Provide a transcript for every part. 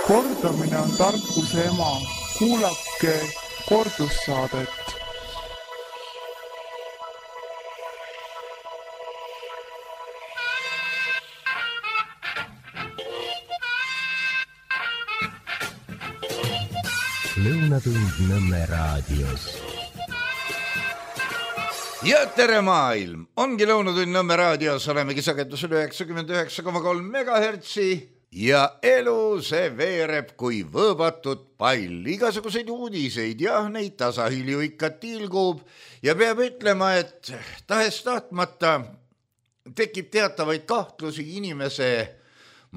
Kordamine on tarkuse ema. Kuulake kordussaadet. Lõunatund Nõmme raadios. Ja tere maailm! Ongi Lõunatund Nõmme raadios, olemegi sagedusel 99,3 megahertsi ja elu see veereb kui võõbatud pall. Igasuguseid uudiseid ja neid tasahilju ikka tilgub ja peab ütlema, et tahes tahtmata tekib teatavaid kahtlusi inimese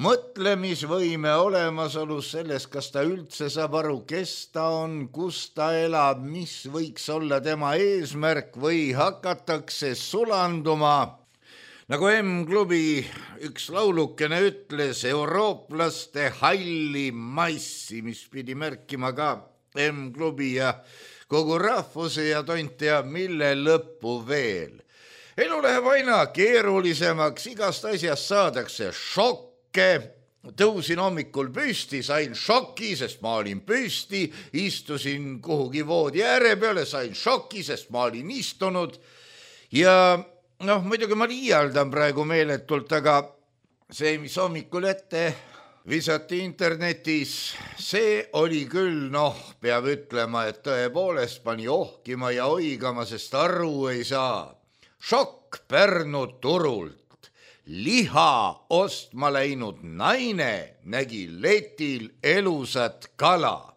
mõtlemisvõime olemasolus selles, kas ta üldse saab aru, kes ta on, kus ta elab, mis võiks olla tema eesmärk või hakatakse sulanduma. Nagu M-klubi üks laulukene ütles, eurooplaste halli massi, mis pidi märkima ka M-klubi ja kogu rahvuse ja tont teab mille lõppu veel. Elu läheb aina keerulisemaks, igast asjast saadakse šokk. Tõusin hommikul püsti, sain šoki, sest ma olin püsti, istusin kuhugi voodi ääre peale, sain šoki, sest ma olin istunud ja muidugi ma liialdan praegu meeletult, aga see, mis hommikul ette visati internetis, see oli küll, peab ütlema, et tõepoolest pani ohkima ja oigama, sest aru ei saa. Šokk Pärnu turult. Liha ostma läinud naine nägi letil elusat kala.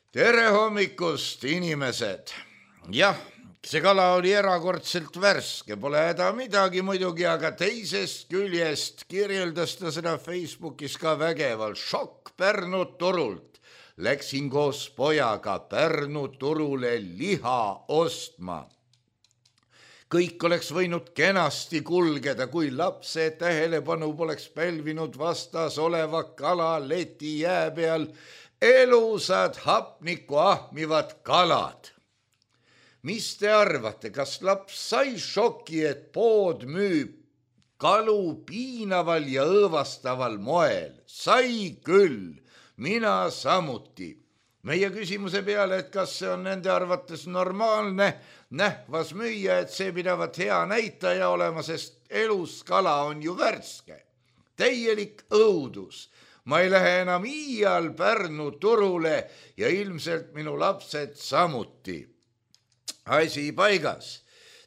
Tere hommikust, inimesed! Jah, see kala oli erakordselt värske, pole häda midagi muidugi, aga teisest küljest kirjeldas ta seda Facebookis ka vägeval. Šokk Pärnu turult. Läksin koos pojaga Pärnu turule liha ostma. Kõik oleks võinud kenasti kulgeda, kui lapse tähelepanu poleks pälvinud vastas oleva kala leti jää peal elusad hapnikku ahmivad kalad. Mis te arvate, kas laps sai šoki, et pood müüb kalu piinaval ja õõvastaval moel? Sai küll, mina samuti. Meie küsimuse peale, et kas see on nende arvates normaalne, nähvas müüa, et see pidavat hea näitaja olema, sest elus kala on ju värske. Täielik õudus. Ma ei lähe enam iial Pärnu turule ja ilmselt minu lapsed samuti. Asi paigas.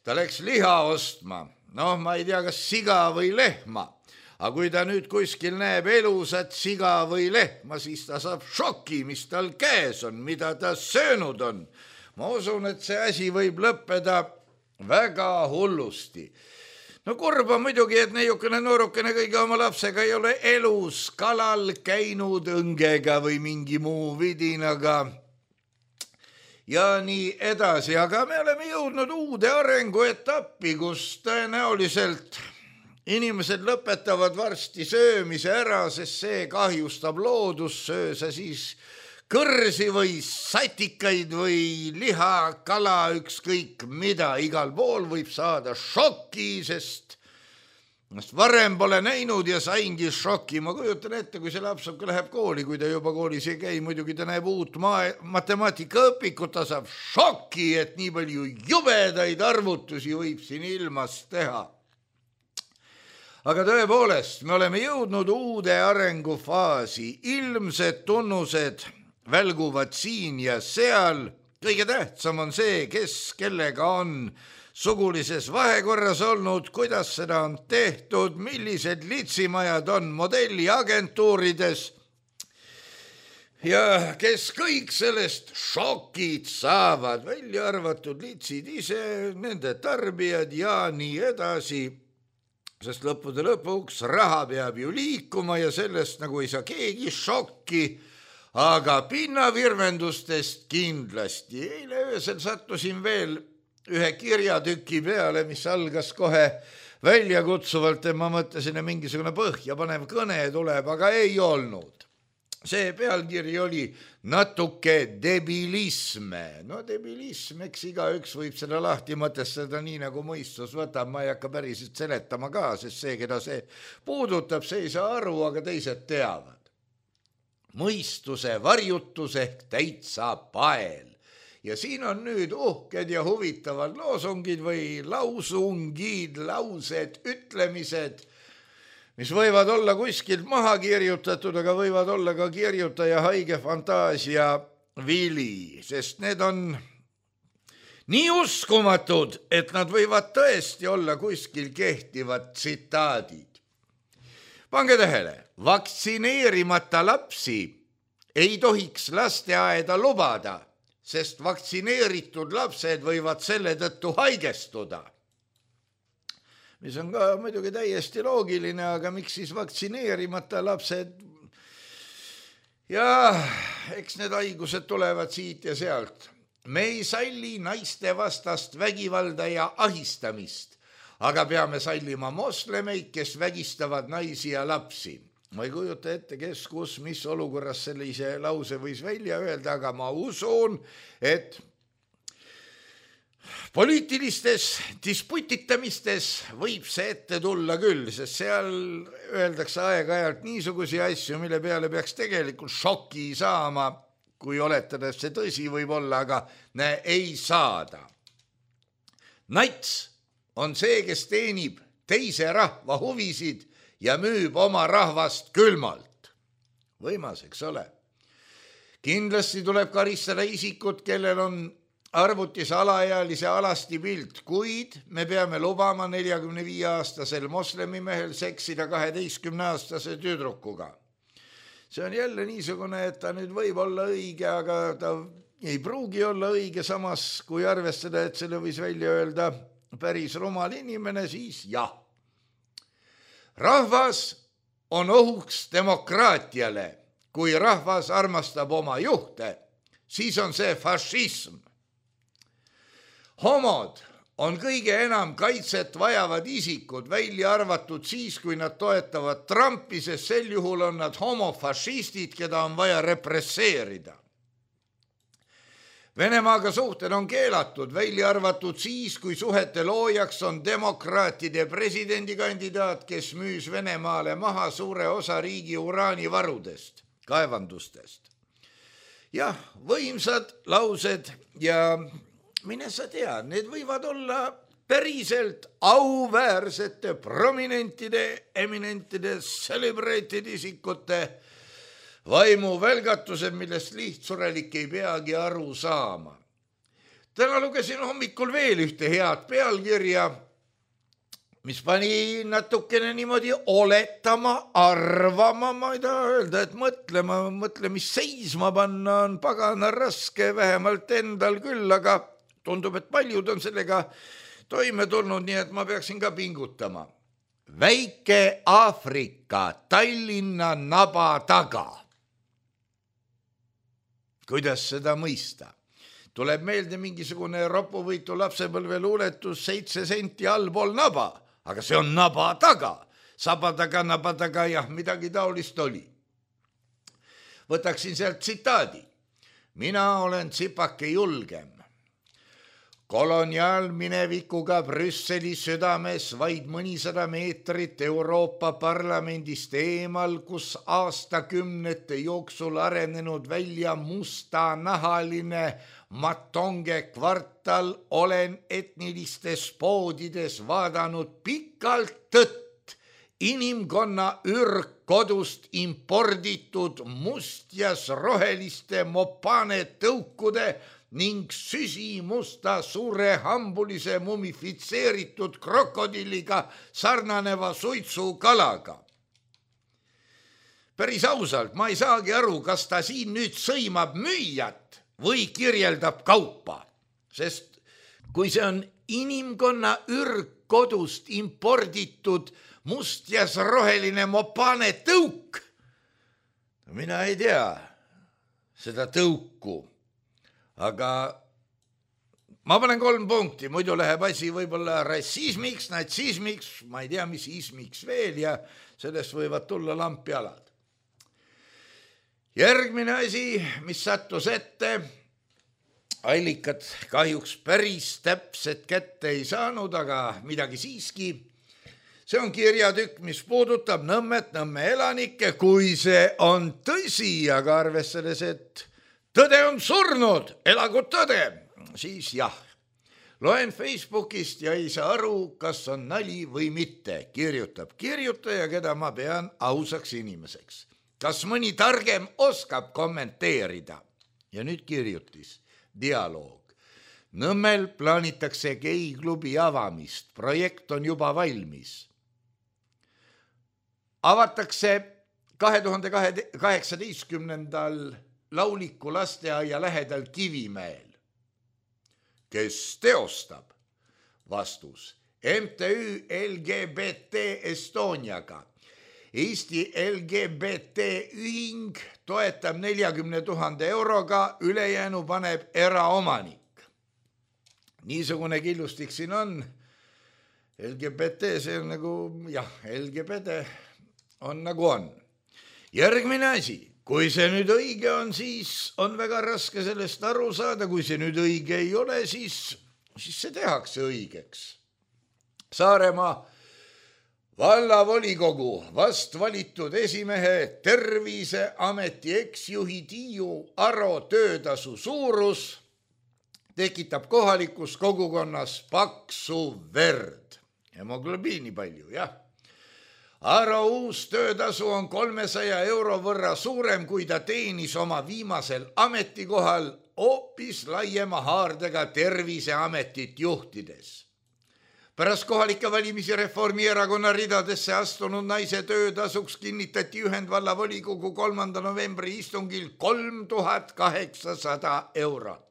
Ta läks liha ostma. Ma ei tea, kas siga või lehma. Aga kui ta nüüd kuskil näeb elusat siga või lehma, siis ta saab šoki, mis tal käes on, mida ta söönud on. Ma usun, et see asi võib lõppeda väga hullusti. Kurba muidugi, et neiukene noorukene kõige oma lapsega ei ole elus kalal käinud õngega või mingi muu vidinaga. Ja nii edasi, aga me oleme jõudnud uude arenguetappi, kus tõenäoliselt inimesed lõpetavad varsti söömise ära, sest see kahjustab loodust, söö sa siis kõrsi või satikaid või liha, kala, ükskõik mida, igal pool võib saada šoki, sest varem pole näinud ja saingi šoki. Ma kujutan ette, kui see laps läheb kooli, kui ta juba koolis ei käi, muidugi ta näeb uut matemaatikaõpikut, ta saab šoki, et nii palju jubedaid arvutusi võib siin ilmas teha. Aga tõepoolest, me oleme jõudnud uude arengufaasi, ilmsed tunnused välguvad siin ja seal. Kõige tähtsam on see, kes kellega on sugulises vahekorras olnud, kuidas seda on tehtud, millised litsimajad on modelliagentuurides ja kes kõik sellest šokid saavad, välja arvatud litsid ise, nende tarbijad ja nii edasi. Sest lõppude lõpuks raha peab ju liikuma ja sellest nagu ei saa keegi šokki, aga pinnavirvendustest kindlasti. Eile öösel sattusin veel ühe kirjatüki peale, mis algas kohe väljakutsuvalt ja ma mõtlesin, et mingisugune põhjapanev kõne tuleb, aga ei olnud. See pealkiri oli natuke debilisme. Debilism, eks igaüks võib seda lahti mõtestada nii nagu mõistus võtab, ma ei hakka päriselt seletama ka, sest see, keda see puudutab, see ei saa aru, aga teised teavad. mõistuse varjutus ehk täitsa pael. Ja siin on nüüd uhked ja huvitavad loosungid või lausungid, laused, ütlemised, mis võivad olla kuskilt maha kirjutatud, aga võivad olla ka kirjutaja haige fantaasia vili, sest need on nii uskumatud, et nad võivad tõesti olla kuskil kehtivad tsitaadid. Pange tähele, vaktsineerimata lapsi ei tohiks lasteaeda lubada, sest vaktsineeritud lapsed võivad selle tõttu haigestuda. Mis on ka muidugi täiesti loogiline, aga miks siis vaktsineerimata lapsed? Ja eks need haigused tulevad siit ja sealt. Me ei salli naiste vastast vägivalda ja ahistamist, aga peame sallima moslemeid, kes vägistavad naisi ja lapsi. Ma ei kujuta ette, kes, kus, mis olukorras sellise lause võis välja öelda, aga ma usun, et poliitilistes disputitamistes võib see ette tulla küll, sest seal öeldakse aeg-ajalt niisugusi asju, mille peale peaks tegelikult šoki saama, kui oletada, et see tõsi võib olla, aga ei saada. Nats on see, kes teenib teise rahva huvisid ja müüb oma rahvast külmalt. Võimas, eks ole. Kindlasti tuleb karistada isikut, kellel on arvutis alaealise alasti pilt, kuid me peame lubama 45-aastasel moslemimehel seksida 12-aastase tüdrukuga. See on jälle niisugune, et ta nüüd võib olla õige, aga ta ei pruugi olla õige, samas kui arvestada, et selle võis välja öelda päris rumal inimene, siis jah. Rahvas on ohuks demokraatiale. Kui rahvas armastab oma juhte, siis on see fašism. Homod on kõige enam kaitset vajavad isikud, välja arvatud siis, kui nad toetavad Trumpi, sest sel juhul on nad homofašistid, keda on vaja represseerida. Venemaaga suhted on keelatud, välja arvatud siis, kui suhete loojaks on demokraatide presidendikandidaat, kes müüs Venemaale maha suure osa riigi uraanivarudest, kaevandustest. Jah, võimsad laused ja mine sa tea, need võivad olla päriselt auväärsete prominentide, eminentide, celebrated isikute vaimu välgatused, millest lihtsurelik ei peagi aru saama. Täna lugesin hommikul veel ühte head pealkirja, mis pani natukene niimoodi oletama, arvama, ma ei taha öelda, et mõtlemist seisma panna on pagana raske, vähemalt endal küll, aga tundub, et paljud on sellega toime tulnud, nii et ma peaksin ka pingutama. Väike Aafrika Tallinna naba taga. Kuidas seda mõista? Tuleb meelde mingisugune ropuvõitu lapsepõlve luuletus 7 senti allpool naba, aga see on naba taga. Saba taga, naba taga, jah, midagi taolist oli. Võtaksin sealt tsitaadi. Mina olen tsipake julgem. Koloniaalminevikuga Brüsseli südames vaid mõnisada meetrit Euroopa Parlamendist eemal, kus aastakümnete jooksul arenenud välja mustanahaline Matonge kvartal, olen etnilistes poodides vaadanud pikalt tõtt inimkonna ürgkodust imporditud mustjas roheliste mopane tõukude ning süsimusta suure hambulise mumifitseeritud krokodilliga sarnaneva suitsukalaga. Päris ausalt, ma ei saagi aru, kas ta siin nüüd sõimab müüjat või kirjeldab kaupa, sest kui see on inimkonna ürgkodust imporditud mustjas roheline mopane tõuk, mina ei tea seda tõuku. Aga ma panen 3 punkti, muidu läheb asi võib-olla rassismiks, natsismiks, ma ei tea, mis ismiks veel ja sellest võivad tulla lampjalad. Järgmine asi, mis sattus ette, allikad kahjuks päris täpset kätte ei saanud, aga midagi siiski. See on kirjatükk, mis puudutab Nõmmet, Nõmme elanikke, kui see on tõsi, aga arvestades, et tõde on surnud, elagu tõde, siis jah. Loen Facebookist ja ei saa aru, kas on nali või mitte, kirjutab kirjutaja, keda ma pean ausaks inimeseks. Kas mõni targem oskab kommenteerida? Ja nüüd kirjutis, dialoog. Nõmmel plaanitakse geiklubi avamist, projekt on juba valmis. Avatakse 2018. Lauliku lasteaia lähedal Kivimäel. Kes teostab? Vastus. MTÜ LGBT Estoniaga. Eesti LGBT ühing toetab 40 000 euroga, ülejäänu paneb eraomanik. Niisugune killustik siin on. LGBT, see on nagu, jah, LGBT on nagu on. Järgmine asi, kui see nüüd õige on, siis on väga raske sellest aru saada, kui see nüüd õige ei ole, siis see tehakse õigeks. Saaremaa vallavolikogu vast valitud esimehe Terviseameti eksjuhi Tiiu Aro töötasu suurus tekitab kohalikus kogukonnas paksu verd. Hemoglobiini palju, jah. Aro uus töötasu on 300 euro võrra suurem, kui ta teenis oma viimasel ametikohal hoopis laiema haardega Terviseametit juhtides. Pärast kohalike valimisi Reformierakonna ridadesse astunud naise töötasuks kinnitati Ühendvallavolikogu 3. novembri istungil 3800 eurot.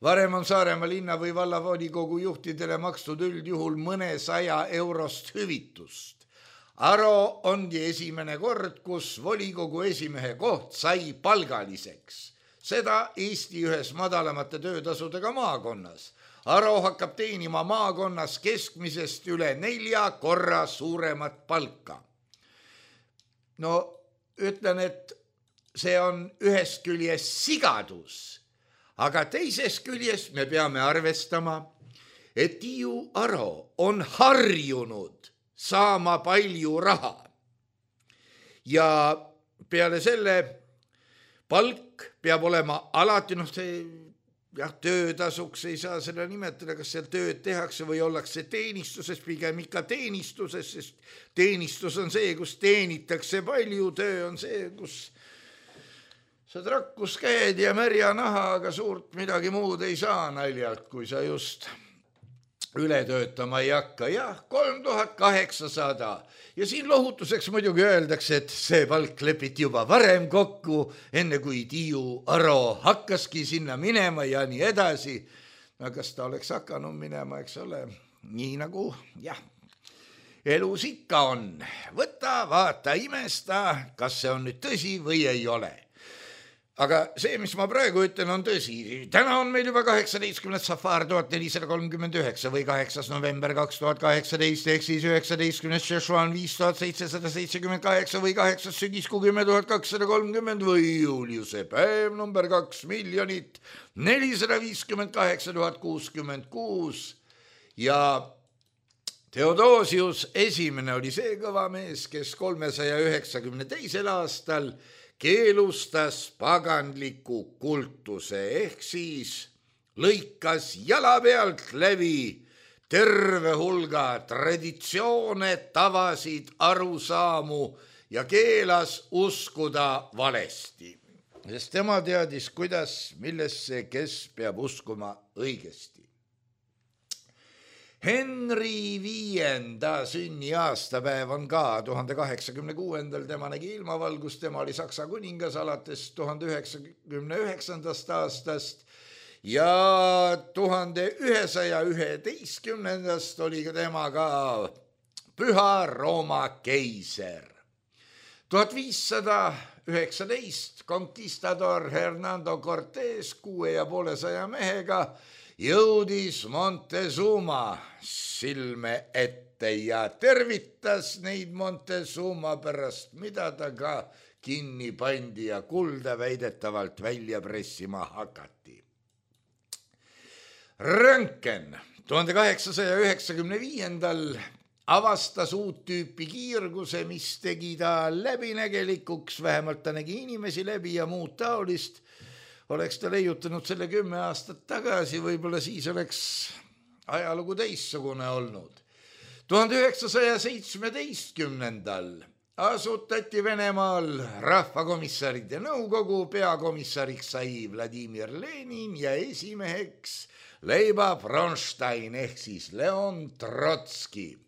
Varem on Saaremaa linna või vallavolikogu juhtidele makstud üldjuhul mõnesaja eurost hüvitust. Aro ongi esimene kord, kus volikogu esimehe koht sai palgaliseks. Seda Eesti ühes madalamate töötasudega maakonnas. Aro hakkab teenima maakonnas keskmisest üle 4 korra suuremat palka. No ütlen, et see on ühest küljest sigadus. Aga teises küljes me peame arvestama, et Tiiu Aro on harjunud saama palju raha. Ja peale selle palk peab olema alati, töötasuks ei saa seda nimetada, kas seal tööd tehakse või ollakse teenistuses, pigem ikka teenistuses, sest teenistus on see, kus teenitakse palju, töö on see, kus sa trakkus käed ja märja naha, aga suurt midagi muud ei saa naljalt, kui sa just üle töötama ei hakka. Jah, 3800. Ja siin lohutuseks muidugi öeldakse, et see palk lepiti juba varem kokku, enne kui Tiiu Aro hakkaski sinna minema ja nii edasi. No kas ta oleks hakanud minema, eks ole, nii nagu, jah, elus ikka on. Võta, vaata, imesta, kas see on nüüd tõsi või ei ole. Aga see, mis ma praegu ütlen, on tõsi. Täna on meil juba 18. Safar 1439 või 8. november 2018 ehk siis 19. Šešuan 5778 või 8. sügiskuu 10230 või Juliuse päev number 2 458 066 ja Theodosius esimene oli see kõva mees, kes 392. aastal keelustas paganliku kultuse ehk siis lõikas jala pealt läbi terve hulga traditsioone, tavasid, arusaamu ja keelas uskuda valesti. Sest tema teadis, kuidas, millesse, kes peab uskuma õigesti. Henry V sünniaastapäev on ka 1086. Tema nägi ilmavalgust, tema oli Saksa kuningas alates 1099. aastast ja 1111. oli tema ka Püha Rooma keiser. 1519 konkistador Hernando Cortés 650 mehega jõudis Montezuma silme ette ja tervitas neid Montezuma pärast, mida ta ka kinni pandi ja kulda väidetavalt välja pressima hakati. Röntgen 1895. avastas uut tüüpi kiirguse, mis tegi ta läbinägelikuks, vähemalt ta nägi inimesi läbi ja muud taolist. Oleks ta leiutanud selle 10 aastat tagasi, võib-olla siis oleks ajalugu teissugune olnud. 1917. asutati Venemaal rahvakomissaride nõukogu, peakomissariks sai Vladimir Lenin ja esimeheks Leiba Bronstein ehk siis Leon Trotski.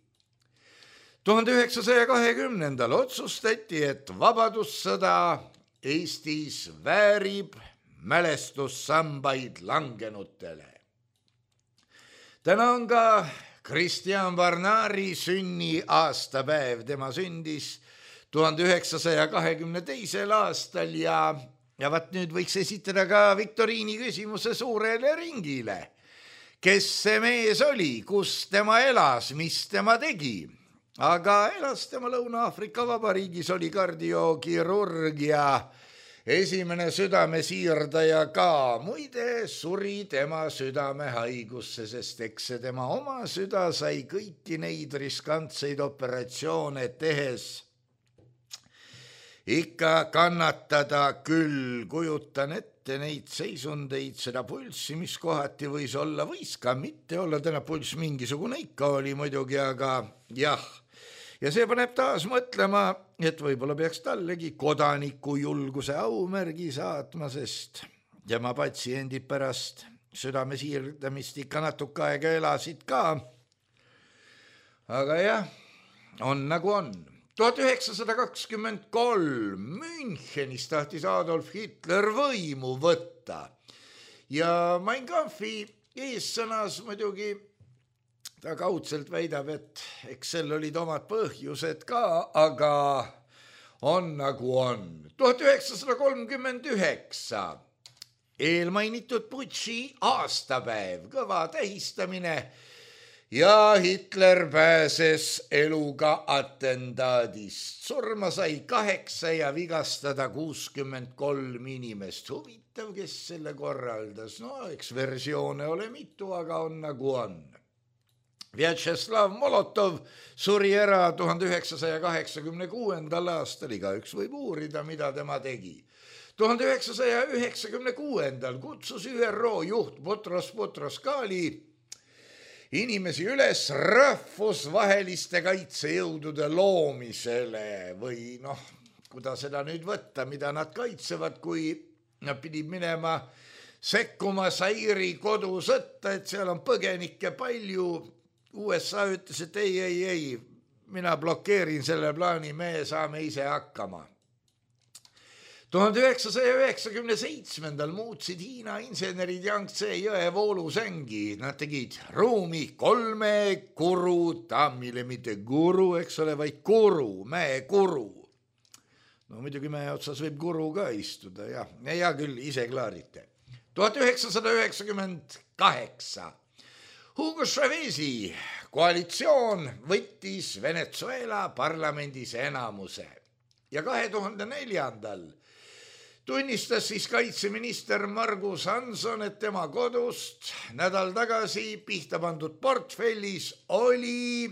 1920. otsustati, et vabadussõda Eestis väärib mälestussambaid langenutele. Täna on ka Kristjan Varnari sünni aastapäev, tema sündis 1922. aastal ja vaat nüüd võiks esitada ka viktoriini küsimuse suurele ringile. Kes see mees oli, kus tema elas, mis tema tegi? Aga elas tema Lõuna-Aafrika Vabariigis, oli kardiokirurg ja esimene südamesiirdaja ka. Muide, suri tema südamehaigusse, sest eks see tema oma süda sai kõiki neid riskantseid operatsioone tehes ikka kannatada küll. Kujutan ette neid seisundeid, seda pulssi, mis kohati võis olla, võis ka mitte olla, täna pulss mingisugune ikka oli muidugi, aga jah. Ja see paneb taas mõtlema, et võib-olla peaks tallegi kodaniku julguse aumärgi saatma, sest tema patsiendid pärast südamesiirdamist ikka natuke aega elasid ka. Aga jah, on nagu on. 1923 Münchenis tahtis Adolf Hitler võimu võtta ja Mein Kampfi eessõnas muidugi ta kaudselt väidab, et eks sel olid omad põhjused ka, aga on nagu on. 1939 eelmainitud putši aastapäev, kõva tähistamine ja Hitler pääses eluga atendaadist. Surma sai 8 ja vigastada 63 inimest. Huvitav, kes selle korraldas. No, eks versioone ole mitu, aga on nagu on. Vjatšeslav Molotov suri ära 1986. aastal, igaüks võib uurida, mida tema tegi. 1996. kutsus ÜRO juht Butros Ghali inimesi üles rahvusvaheliste kaitsejõudude loomisele või noh, kuidas seda nüüd võtta, mida nad kaitsevad, kui nad pidid minema sekkuma Zairi kodusõtta, et seal on põgenikke palju. USA ütles, et ei, mina blokeerin selle plaani, me saame ise hakkama. 1997. muutsid Hiina insenerid Yangtze jõe voolusängi. Nad tegid ruumi 3 kuru tammile, mitte guru, eks ole, vaid kuru, mäekuru. No muidugi mäe otsas võib kuru ka istuda, jah. Ja küll, ise klaarite. 1998. Hugo Chavez'i koalitsioon võttis Venezuela parlamendis enamuse ja 2004. tunnistas siis kaitseminister Margus Hanson, et tema kodust nädal tagasi pihta pandud portfellis oli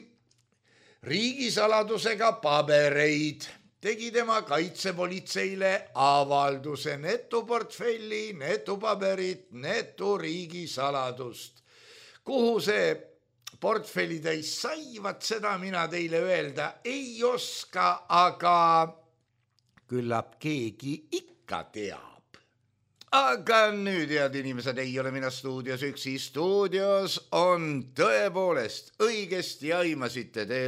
riigisaladusega pabereid. Tegi tema kaitsepolitseile avalduse, netuportfelli, netupaberit, netu riigisaladust. Kuhu see portfelli täis sai, vaat seda mina teile öelda ei oska, aga küllap keegi ikka teab. Aga nüüd, head inimesed, ei ole mina stuudios üksi. Stuudios on tõepoolest õigesti aimasite. Te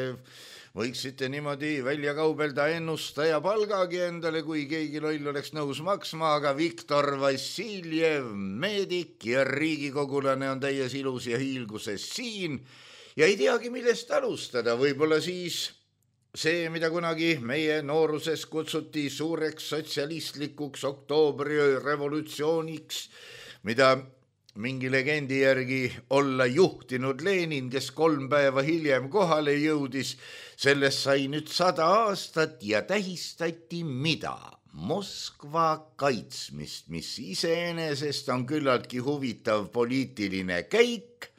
võiksite niimoodi välja kaubelda ennustaja palgagi endale, kui keegi loll oleks nõus maksma, aga Viktor Vassiljev, meedik ja riigikogulane on täies ilus ja hiilguses siin ja ei teagi, millest alustada. Võib-olla siis see, mida kunagi meie nooruses kutsuti suureks sotsialistlikuks oktoobriöö revolutsiooniks, mida mingi legendi järgi olla juhtinud Lenin, kes 3 päeva hiljem kohale jõudis, sellest sai nüüd 100 aastat ja tähistati mida? Moskva kaitsmist, mis iseenesest on küllaltki huvitav poliitiline käik,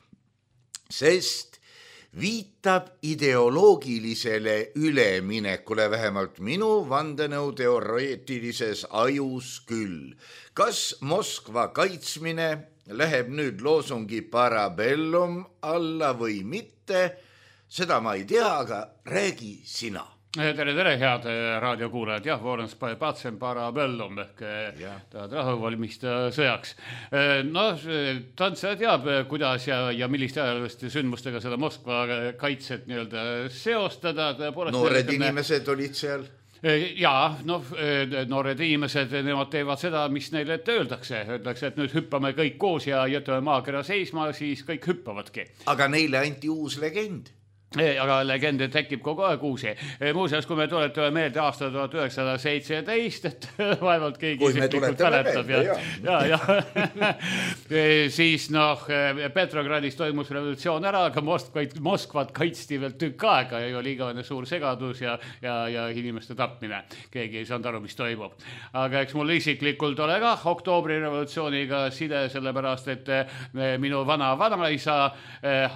sest viitab ideoloogilisele üleminekule, vähemalt minu vandenõuteoreetilises ajus küll. Kas Moskva kaitsmine läheb nüüd loosungi Parabellum alla või mitte, seda ma ei tea, aga räägi sina. Tere, head raadiokuulajad. Jah, Vorens Patsem Parabellum ehk tahad rahu valmista sõjaks. No, tantsa teab, kuidas ja milliste ajaliste sündmustega seda Moskva kaitset nii-öelda seostada. Noored inimesed olid seal. Jaa, noored inimesed, nemad teevad seda, mis neile ette öeldakse. Öeldakse, et nüüd hüppame kõik koos ja jätame maakera seisma, siis kõik hüppavadki. Aga neile anti uus legend. Aga legende tekib kogu aeg uusi. Muuseas, kui me tuletame meelde aasta 1917, et vaevalt keegi isiklikult mäletab. Siis Petrogradis toimus revolutsioon ära, aga Moskvat kaitsti veel tükk aega ja oli igavene suur segadus ja inimeste tapmine. Keegi ei saanud aru, mis toimub. Aga eks mul isiklikult ole ka oktoobri revolutsiooniga side, sellepärast, et minu vanaisa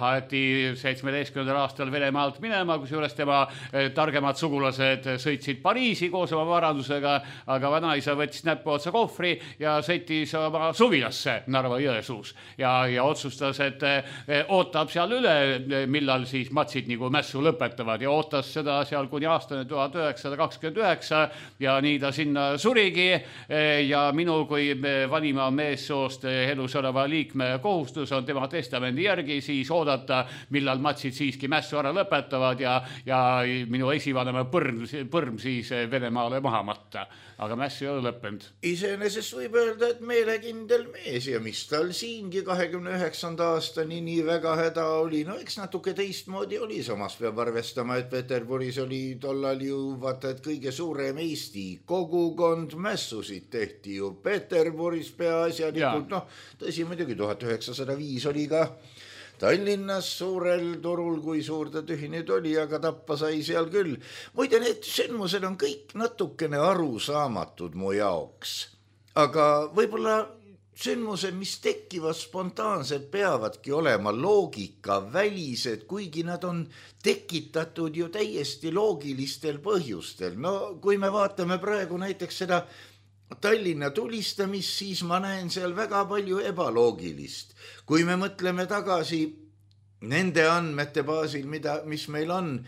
haeti 17. aastal Venemaalt minema, kusjuures tema targemad sugulased sõitsid Pariisi koos oma varandusega, aga vanaisa võttis näppu otsa kohvri ja sõitis oma suvilasse Narva Jõesuus ja otsustas, et ootab seal üle, millal siis matsid nagu mässu lõpetavad ja ootas seda seal kuni aastane 1929 ja nii ta sinna surigi ja minu kui vanima meessoost elus oleva liikme kohustus on tema testamendi järgi siis oodata, millal matsid siiski mässu ära lõpetavad ja minu esivanema põrm siis Venemaale maha matta. Aga mäss ei ole lõppenud. Iseenesest võib öelda, et meelekindel mees ja mis tal siingi 29. aastani nii väga häda oli. No eks natuke teistmoodi oli, samas peab arvestama, et Peterburis oli tollal ju vaata, et kõige suurem Eesti kogukond, mässusid tehti ju Peterburis peaasjalikult. Tõsi, muidugi 1905 oli ka Tallinnas suurel turul, kui suur ta tühi nüüd oli, aga tappa sai seal küll. Muide, need sündmused on kõik natukene arusaamatud mu jaoks. Aga võib-olla sündmused, mis tekivad spontaanselt, peavadki olema loogika välised, kuigi nad on tekitatud ju täiesti loogilistel põhjustel. No kui me vaatame praegu näiteks seda Tallinna tulistamist, siis ma näen seal väga palju ebaloogilist. Kui me mõtleme tagasi nende andmete baasil, mis meil on,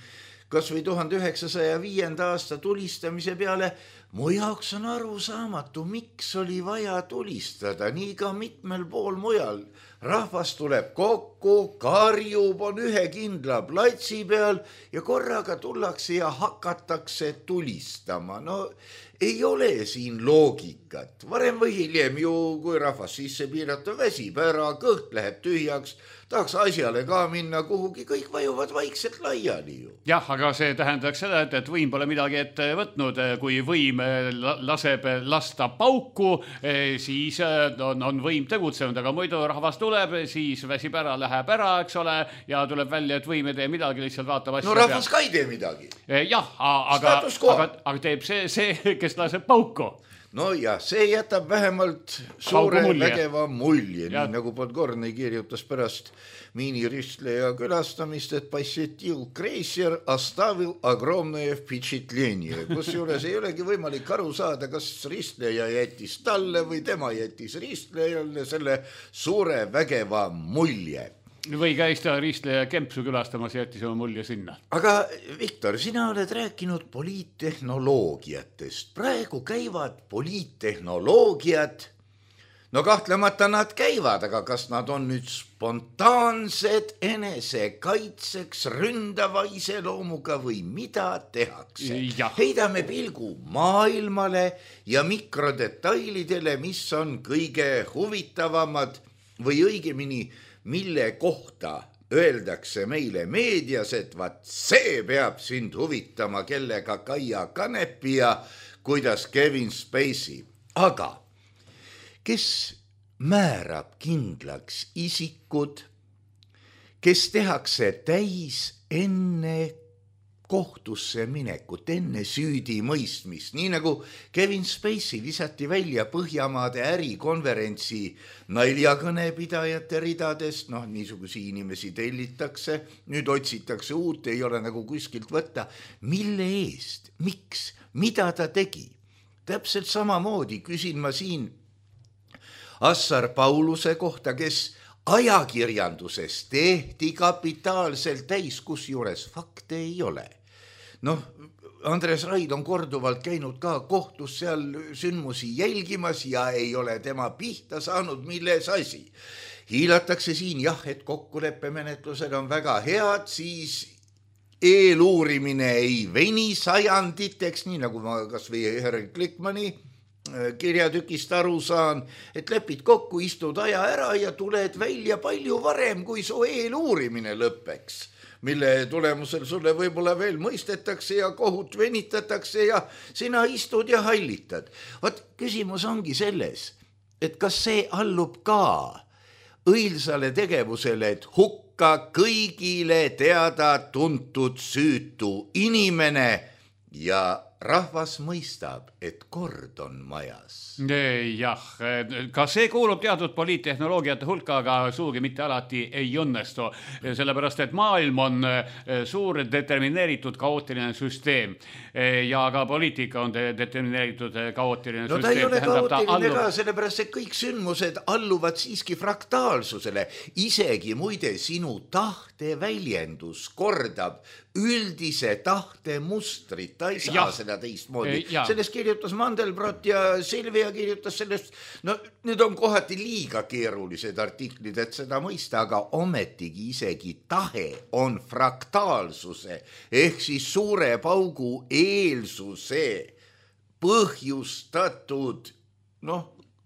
kas või 1905. aasta tulistamise peale, mu jaoks on arusaamatu, miks oli vaja tulistada, nii ka mitmel pool mujal. Rahvas tuleb kokku, karjub, on ühe kindla platsi peal ja korraga tullakse ja hakatakse tulistama. No ei ole siin loogikat. Varem või hiljem ju, kui rahvas sisse piirata, väsib ära, kõht läheb tühjaks, tahaks asjale ka minna kuhugi, kõik vajuvad vaikselt laiali ju. Jah, aga see tähendaks seda, et võim pole midagi ette võtnud. Kui võim laseb lasta pauku, siis on võim tegutsenud, aga muidu rahvas tuleb, siis väsib ära, läheb ära, eks ole, ja tuleb välja, et võim ei tee midagi, lihtsalt vaatab asja. No rahvas ka ei tee midagi. Jah, aga teeb see, kes laseb pauku. No ja see jätab vähemalt suure vägeva mulje, nii nagu Podgorny kirjutas pärast miiniristleja külastamist, et посетил крейсер, оставил огромное впечатление. Kusjuures ei olegi võimalik aru saada, kas ristleja jättis talle või tema jättis ristlejale selle suure vägeva mulje. Või käis ta ristleja Kempsu külastamas ja jättis oma mulje sinna. Aga Viktor, sina oled rääkinud poliittehnoloogiatest. Praegu käivad poliittehnoloogiad. No kahtlemata nad käivad, aga kas nad on nüüd spontaansed enesekaitseks ründava iseloomuga või mida tehakse? Heidame pilgu maailmale ja mikrodetailidele, mis on kõige huvitavamad või õigemini mille kohta öeldakse meile meedias, et vaat see peab sind huvitama, kellega Kaia Kanepi ja kuidas Kevin Spacey. Aga kes määrab kindlaks isikud, kes tehakse täis enne kohtusse minekut enne süüdi mõistmist, nii nagu Kevin Spacey visati välja Põhjamaade ärikonverentsi naljakõnepidajate ridadest, niisugusi inimesi tellitakse, nüüd otsitakse uut, ei ole nagu kuskilt võtta. Mille eest, miks, mida ta tegi? Täpselt samamoodi küsin ma siin Assar Pauluse kohta, kes ajakirjanduses tehti kapitaalselt täis, kusjuures fakte ei ole. Andres Raid on korduvalt käinud ka kohtus seal sündmusi jälgimas ja ei ole tema pihta saanud, milles asi. Hiilatakse siin, et kokkuleppemenetlused on väga head, siis eeluurimine ei veni sajanditeks, nii nagu ma kas või Herr Klikmani kirjatükist aru saan, et lepid kokku, istud aja ära ja tuled välja palju varem, kui su eeluurimine lõpeks, mille tulemusel sulle võib-olla veel mõistetakse ja kohut venitatakse ja sina istud ja hallitad. Küsimus ongi selles, et kas see allub ka õilsale tegevusele, et hukka kõigile teada tuntud süütu inimene ja rahvas mõistab, et kord on majas. Jah, ka see kuulub teatud poliittehnoloogiate hulka, aga suugi mitte alati ei õnnestu, sellepärast et maailm on suur determineeritud kaootiline süsteem ja ka poliitika on determineeritud kaootiline süsteem. Ta ei ole kaootiline ka, sellepärast et kõik sündmused alluvad siiski fraktaalsusele. Isegi muide sinu tahte väljendus kordab üldise tahte mustrit, ta ei saa seda teistmoodi. Sellest kirjutas Mandelbrot ja Silvia kirjutas sellest, need on kohati liiga keerulised artiklid, et seda mõista, aga ometigi isegi tahe on fraktaalsuse ehk siis suure paugu eelsuse põhjustatud,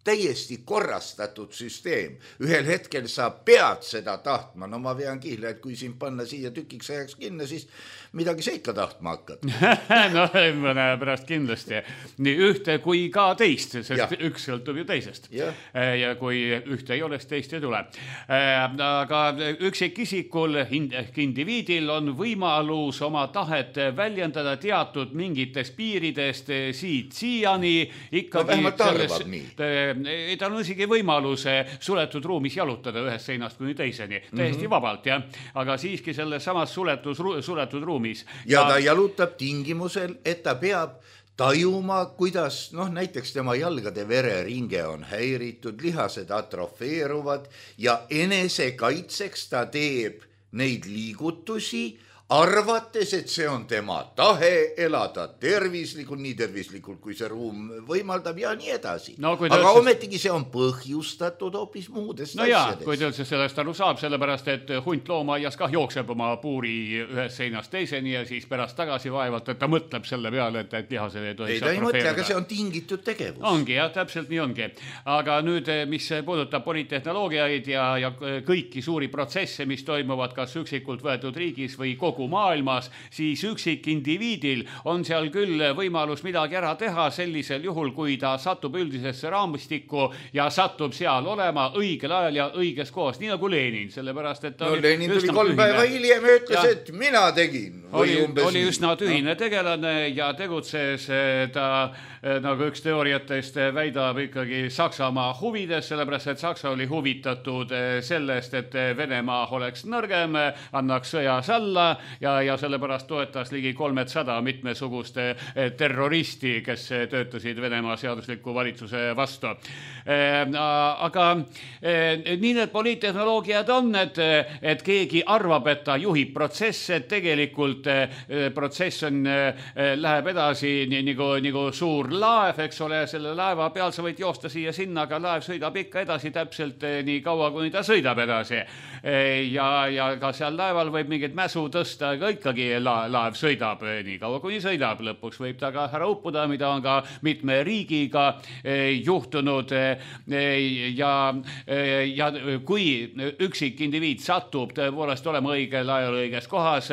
täiesti korrastatud süsteem. Ühel hetkel sa pead seda tahtma. Ma vean kihla, et kui sind panna siia tükiks ajaks kinni, siis midagi sa ikka tahtma hakkad. Mõne pärast kindlasti. Nii ühte kui ka teist, sest üks sõltub ju teisest. Ja kui ühte ei ole, teist ei tule. Aga üksikisikul ehk indiviidil on võimalus oma tahet väljendada teatud mingitest piiridest siiani. Vähemalt arvab nii. Tal on isegi võimalus suletud ruumis jalutada ühest seinast kuni teiseni, täiesti vabalt, aga siiski selles samas suletud ruumis. Ja ta jalutab tingimusel, et ta peab tajuma, kuidas näiteks tema jalgade vereringe on häiritud, lihased atrofeeruvad ja enesekaitseks ta teeb neid liigutusi, arvates, et see on tema tahe elada tervislikult, nii tervislikult, kui see ruum võimaldab ja nii edasi. Aga ometigi see on põhjustatud hoopis muudest asjadest. Kui ta üldse sellest aru saab, sellepärast, et hunt loomaaias kah jookseb oma puuri ühest seinast teiseni ja siis pärast tagasi vaevalt, et ta mõtleb selle peale, et lihased ei tohiks atrofeeruda. Ei, ta ei mõtle, aga see on tingitud tegevus. Ongi, täpselt nii ongi. Aga nüüd, mis puudutab poliittehnoloogiaid ja kõiki suuri protsesse, mis toimuvad kas üksikult võetud riigis või kogu maailmas, siis üksik indiviidil on seal küll võimalus midagi ära teha sellisel juhul, kui ta satub üldisesse raamistikku ja satub seal olema õigel ajal ja õiges kohas, nii nagu Lenin, sellepärast et Lenin tuli 3 päeva hiljem ja ütles, et mina tegin. Oli üsna tühine tegelane ja tegutses ta, nagu üks teooriatest väidab, ikkagi Saksamaa huvides, sellepärast et Saksa oli huvitatud sellest, et Venemaa oleks nõrgem, annaks sõjas alla ja sellepärast toetas ligi 300 mitmesuguste terroristi, kes töötasid Venemaa seadusliku valitsuse vastu. Aga nii need poliittehnoloogiad on, et keegi arvab, et ta juhib protsesse, et tegelikult protsess läheb edasi nagu suur laev, eks ole, selle laeva peal sa võid joosta siia sinna, aga laev sõidab ikka edasi täpselt nii kaua, kuni ta sõidab edasi. Ja ka seal laeval võib mingit mäsu tõsta, aga ikkagi laev sõidab nii kaua, kuni sõidab. Lõpuks võib ta ka ära uppuda, mida on ka mitme riigiga juhtunud. Ja kui üksik indiviid satub tõepoolest olema õigel ajal õiges kohas,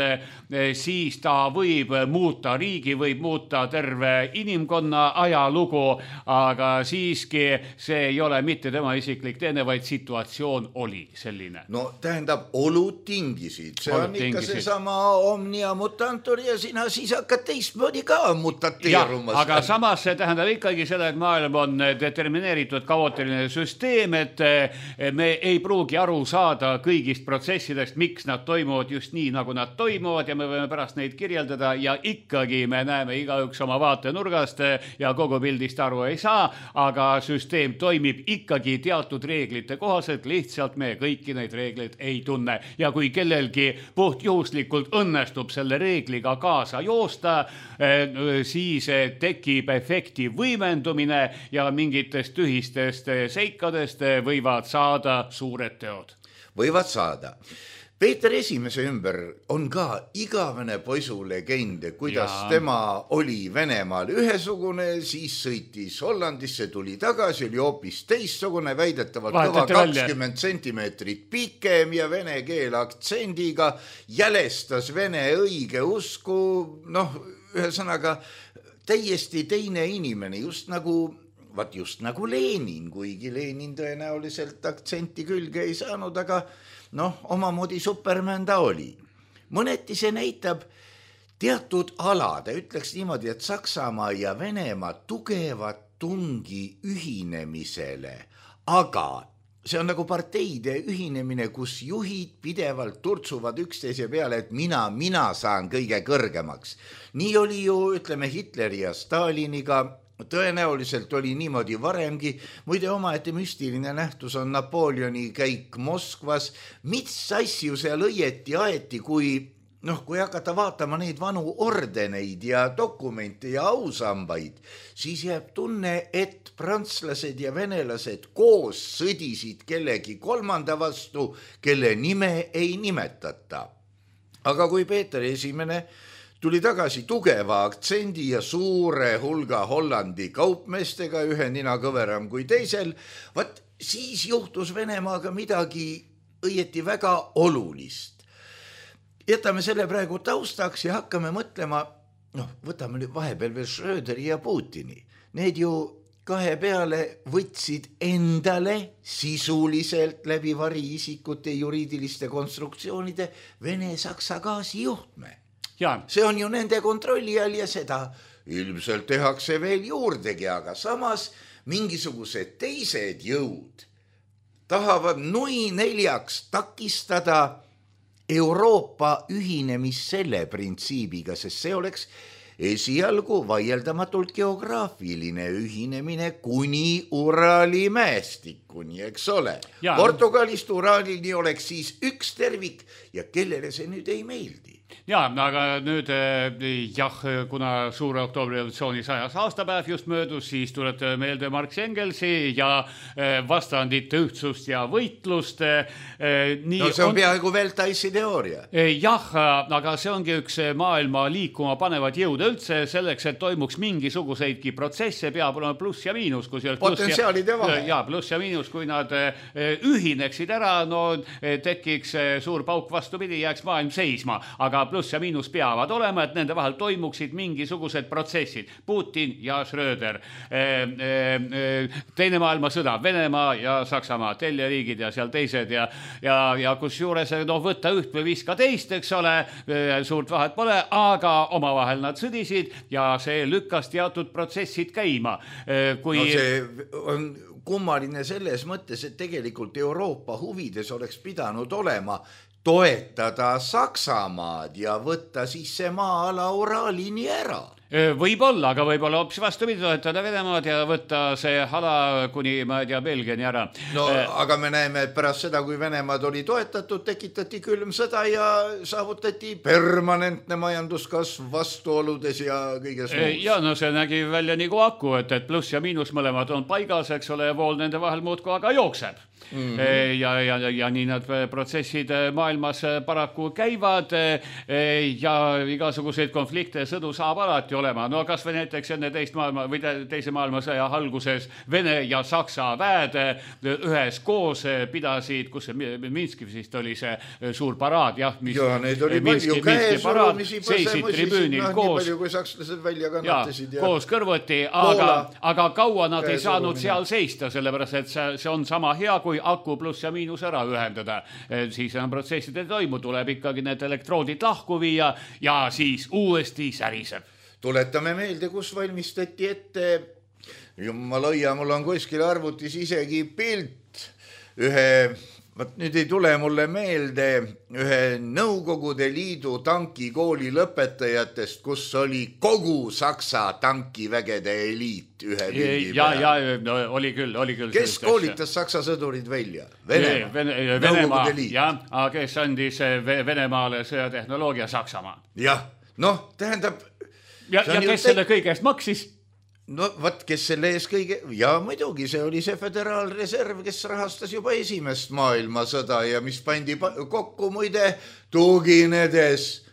siis ta võib muuta riigi, võib muuta terve inimkonna ajalugu, aga siiski see ei ole mitte tema isiklik teene, vaid situatsioon oli selline. No tähendab, olud tingisid. See on ikka seesama omnia mutantur ja sina siis hakkad teistmoodi ka mutateerumas. Aga samas see tähendab ikkagi seda, et maailm on determineeritud kaootiline süsteem, et me ei pruugi aru saada kõigist protsessidest, miks nad toimuvad just nii, nagu nad toimuvad ja me võime pärast neid kirjeldada ja ikkagi me näeme igaüks oma vaatenurgast ja kogu pildist aru ei saa, aga süsteem toimib ikkagi teatud reeglite kohaselt, lihtsalt me kõiki neid reegleid ei tunne. Ja kui kellelgi puhtjuhuslikult õnnestub selle reegliga kaasa joosta, siis tekib efekti võimendumine ja mingitest tühistest seikadest võivad saada suured teod. Võivad saada. Peeter Esimese ümber on ka igavene poisulegend, kuidas tema oli Venemaal ühesugune, siis sõitis Hollandisse, tuli tagasi, oli hoopis teissugune, väidetavalt kõva 20 sentimeetrit pikem ja vene keel aktsendiga, jälestas vene õige usku, ühesõnaga täiesti teine inimene, just nagu Lenin, kuigi Lenin tõenäoliselt aktsenti külge ei saanud, aga omamoodi Superman ta oli. Mõneti see näitab teatud alade, ütleks niimoodi, et Saksamaa ja Venemaa tugevat tungi ühinemisele, aga see on nagu parteide ühinemine, kus juhid pidevalt turtsuvad üksteise peale, et mina saan kõige kõrgemaks. Nii oli ju, ütleme, Hitleri ja Staliniga, tõenäoliselt oli niimoodi varemgi, muide omaette müstiline nähtus on Napoleoni käik Moskvas, mis asju seal õieti aeti, kui hakata vaatama neid vanu ordeneid ja dokumente ja ausambaid, siis jääb tunne, et prantslased ja venelased koos sõdisid kellegi kolmanda vastu, kelle nime ei nimetata. Aga kui Peeter Esimene tuli tagasi tugeva aktsendi ja suure hulga Hollandi kaupmeestega, ühe nina kõveram kui teisel, siis juhtus Venemaaga midagi õieti väga olulist. Jätame selle praegu taustaks ja hakkame mõtlema, võtame nüüd vahepeal veel Schröderi ja Putini. Need ju kahe peale võtsid endale sisuliselt läbi variisikute juriidiliste konstruktsioonide Vene-Saksa gaasijuhtme. See on ju nende kontrolli all ja seda ilmselt tehakse veel juurdegi, aga samas mingisugused teised jõud tahavad nui neljaks takistada Euroopa ühinemist selle printsiibiga, sest see oleks esialgu vaieldamatult geograafiline ühinemine kuni Urali mäestikuni, eks ole. Portugalist Uralini oleks siis üks tervik ja kellele see nüüd ei meeldi. Aga nüüd kuna suure oktoobri revolutsiooni 100. aastapäev just möödus, siis tuleb meelde Marx Engelsi ja vastandite ühtsust ja võitlust. See on peaaegu Veltaisi teooria. Aga see ongi üks maailma liikuma panevad jõud üldse, selleks, et toimuks mingisuguseidki protsesse, peab olema pluss ja miinus. Potentsiaalide vahe. Pluss ja miinus, kui nad ühineksid ära, tekiks suur pauk vastupidi, jääks maailm seisma, aga pluss ja miinus peavad olema, et nende vahel toimuksid mingisugused protsessid. Putin ja Schröder, teine maailmasõda, Venemaa ja Saksamaa, teljeriigid ja seal teised ja kus juures võtta üht või viska teist, eks ole, suurt vahet pole, aga omavahel nad sõdisid ja see lükkas teatud protsessid käima. See on kummaline selles mõttes, et tegelikult Euroopa huvides oleks pidanud olema toetada Saksamaad ja võtta siis see maa-ala Uralini ära. Võib-olla, aga võib-olla hoopis vastupidi, toetada Venemaad ja võtta see ala kuni, Belgiani ära. Aga me näeme, et pärast seda, kui Venemaad oli toetatud, tekitati külm sõda ja saavutati permanentne majanduskasv vastuoludes ja kõiges muus. See nägi välja nagu aku, et pluss ja miinus mõlemad on paigas, eks ole, ja vool nende vahel muudkui aga jookseb. Ja nii nad protsessid maailmas paraku käivad ja igasuguseid konflikte ja sõdu saab alati olema. Kas või näiteks enne teise maailmasõja alguses Vene ja Saksa väed ühes koos pidasid, kus see Minskis vist oli see suur paraad, need oli palju käesurumisi, seisid tribüünil koos, nii palju kui sakslased välja kannatasid. Koos kõrvuti, aga kaua nad ei saanud seal seista, sellepärast et see on sama hea kui kui aku pluss ja miinus ära ühendada. Siis enam protsessid ei toimu, tuleb ikkagi need elektroodid lahku viia ja siis uuesti säriseb. Tuletame meelde, kus valmistati ette, jumal hoia, mul on kuskil arvutis isegi pilt nüüd ei tule mulle meelde ühe Nõukogude Liidu tankikooli lõpetajatest, kus oli kogu Saksa tankivägede eliit ühe pildi peal. Ja, no, oli küll. Kes koolitas Saksa sõdurid välja? Venemaa, ja kes andis Venemaale sõjatehnoloogia Saksamaa. Jah, noh, tähendab... Ja kes selle kõigest maksis? No võt, kes selle ees kõige... Ja muidugi, see oli see föderaalreserv, kes rahastas juba esimest maailmasõda ja mis pandi kokku muide tuginedes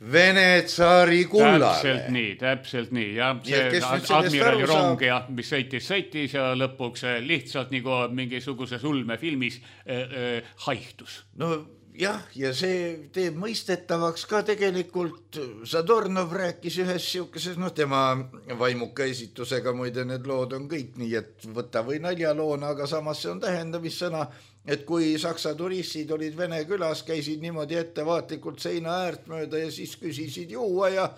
Vene tsaari kullale. Täpselt nii. Ja see admirali rong, mis sõitis ja lõpuks lihtsalt nagu mingisuguses ulmefilmis haihtus. No jah, ja see teeb mõistetavaks ka tegelikult, Zadornov rääkis ühes siukeses, tema vaimuka esitusega, muide need lood on kõik nii, et võta või naljaloona, aga samas see on tähendamissõna, et kui saksa turistid olid Vene külas, käisid niimoodi ettevaatlikult seina äärt mööda ja siis küsisid juua ja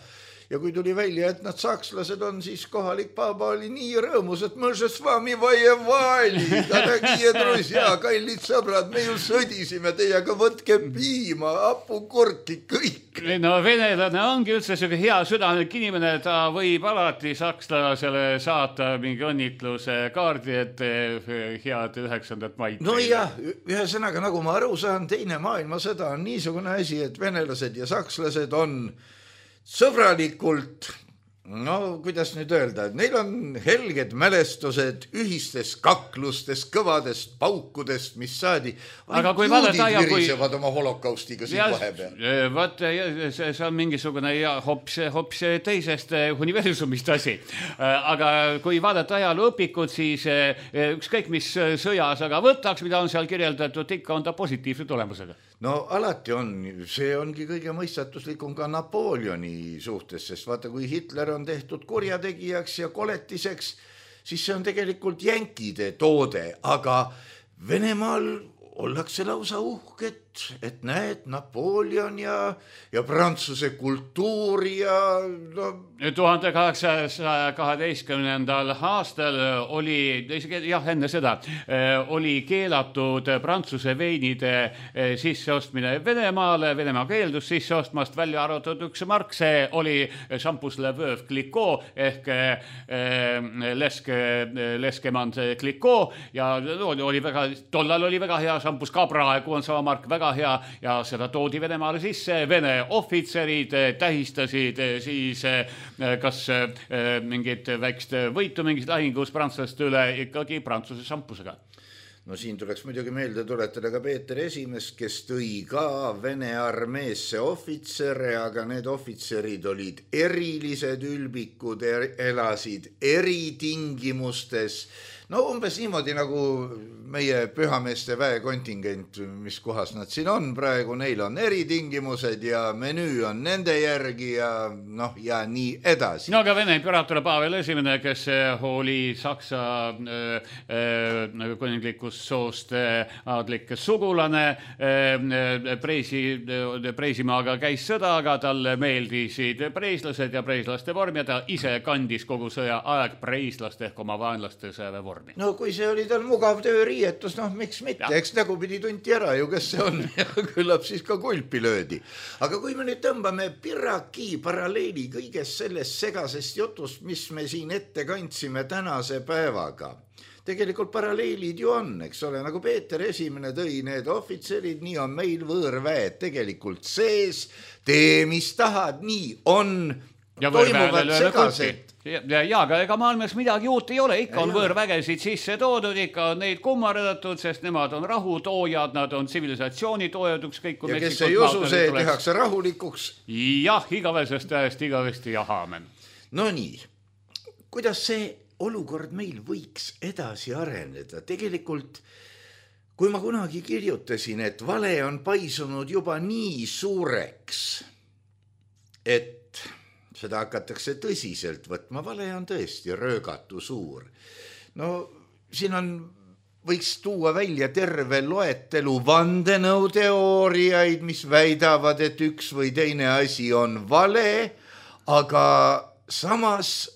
kui tuli välja, et nad sakslased on, siis kohalik paaba oli nii rõõmus, et me s vami vajevali, daragie druzja, kallid sõbrad, me ju sõdisime teiega, võtke piima, hapukurki, kõik. No venelane ongi üldse selline hea südamelik inimene, ta võib alati sakslasele saata mingi õnnitluse kaardi, et head 9. maid. No jah, ühesõnaga, nagu ma aru saan, teine maailmasõda on niisugune asi, et venelased ja sakslased on sõbralikult, kuidas nüüd öelda, et neil on helged mälestused ühistest kaklustest, kõvadest paukudest, mis saadi. Aga kui vaadata virisevad oma holokaustiga siin vahepeal. Vaat, see on mingisugune hops teisest universumist asi. Aga kui vaadata ajalooõpikut, siis ükskõik mis sõjas, aga võtaks, mida on seal kirjeldatud, ikka on ta positiivse tulemusega. No alati on, see ongi kõige mõistatuslikum ka Napoleoni suhtes, sest vaata, kui Hitler on tehtud kurjategijaks ja koletiseks, siis see on tegelikult jänkide toode, aga Venemaal ollakse lausa uhket, et näed, Napoleon ja Prantsuse kultuur ja... 1812. aastal oli, jah, enne seda, oli keelatud Prantsuse veinide sisseostmine Venemaale, Venemaa keeldus sisseostmast, välja arvatud üks mark, see oli Champus Le Veuve Clicquot ehk Leskemand Clicquot ja oli väga, tollal oli väga hea Champus, ka praegu on sama mark väga hea ja seda toodi Venemaale sisse, Vene ohvitserid tähistasid siis kas mingit väikest võitu mingis lahingus prantslaste üle ikkagi Prantsuse šampusega. No siin tuleks muidugi meelde tuletada ka Peeter Esimest, kes tõi ka Vene armeesse ohvitsere, aga need ohvitserid olid erilised ülbikud, elasid eritingimustes. No umbes niimoodi nagu meie pühameeste väekontingent, mis kohas nad siin on praegu, neil on eritingimused ja menüü on nende järgi ja ja nii edasi. No aga Vene imperaator Pavel esimene, kes oli Saksa kuninglikust soost aadlik sugulane, Preesimaaga käis sõda, aga talle meeldisid preislased ja preislaste vorm ja ta ise kandis kogu sõja aeg preislaste ehk oma vaenlaste sõjaväevormi. No kui see oli tal mugav tööriietus, miks mitte, eks nägupidi tunti ära ju, kes see on ja küllap siis ka kulpi löödi. Aga kui me nüüd tõmbame piraki paralleeli kõigest sellest segasest jutust, mis me siin ette kandsime tänase päevaga, tegelikult paralleelid ju on, eks ole, nagu Peeter Esimene tõi need ohvitserid, nii on meil võõrväed tegelikult sees, tee mis tahad, nii on, toimuvad segased. Ja, aga ega maailmas midagi uut ei ole, ikka on võõrvägesid sisse toodud, ikka on neid kummardatud, sest nemad on rahutoojad, nad on tsivilisatsiooni toojad, ükskõik kui ja kes ei usu, see tehakse rahulikuks. Jah, igavesest ajast igavesti ja haamen. No nii, kuidas see olukord meil võiks edasi areneda? Tegelikult, kui ma kunagi kirjutasin, et vale on paisunud juba nii suureks, et seda hakatakse tõsiselt võtma, vale on tõesti röögatu suur. No siin on võiks tuua välja terve loetelu vandenõuteooriaid, mis väidavad, et üks või teine asi on vale, aga samas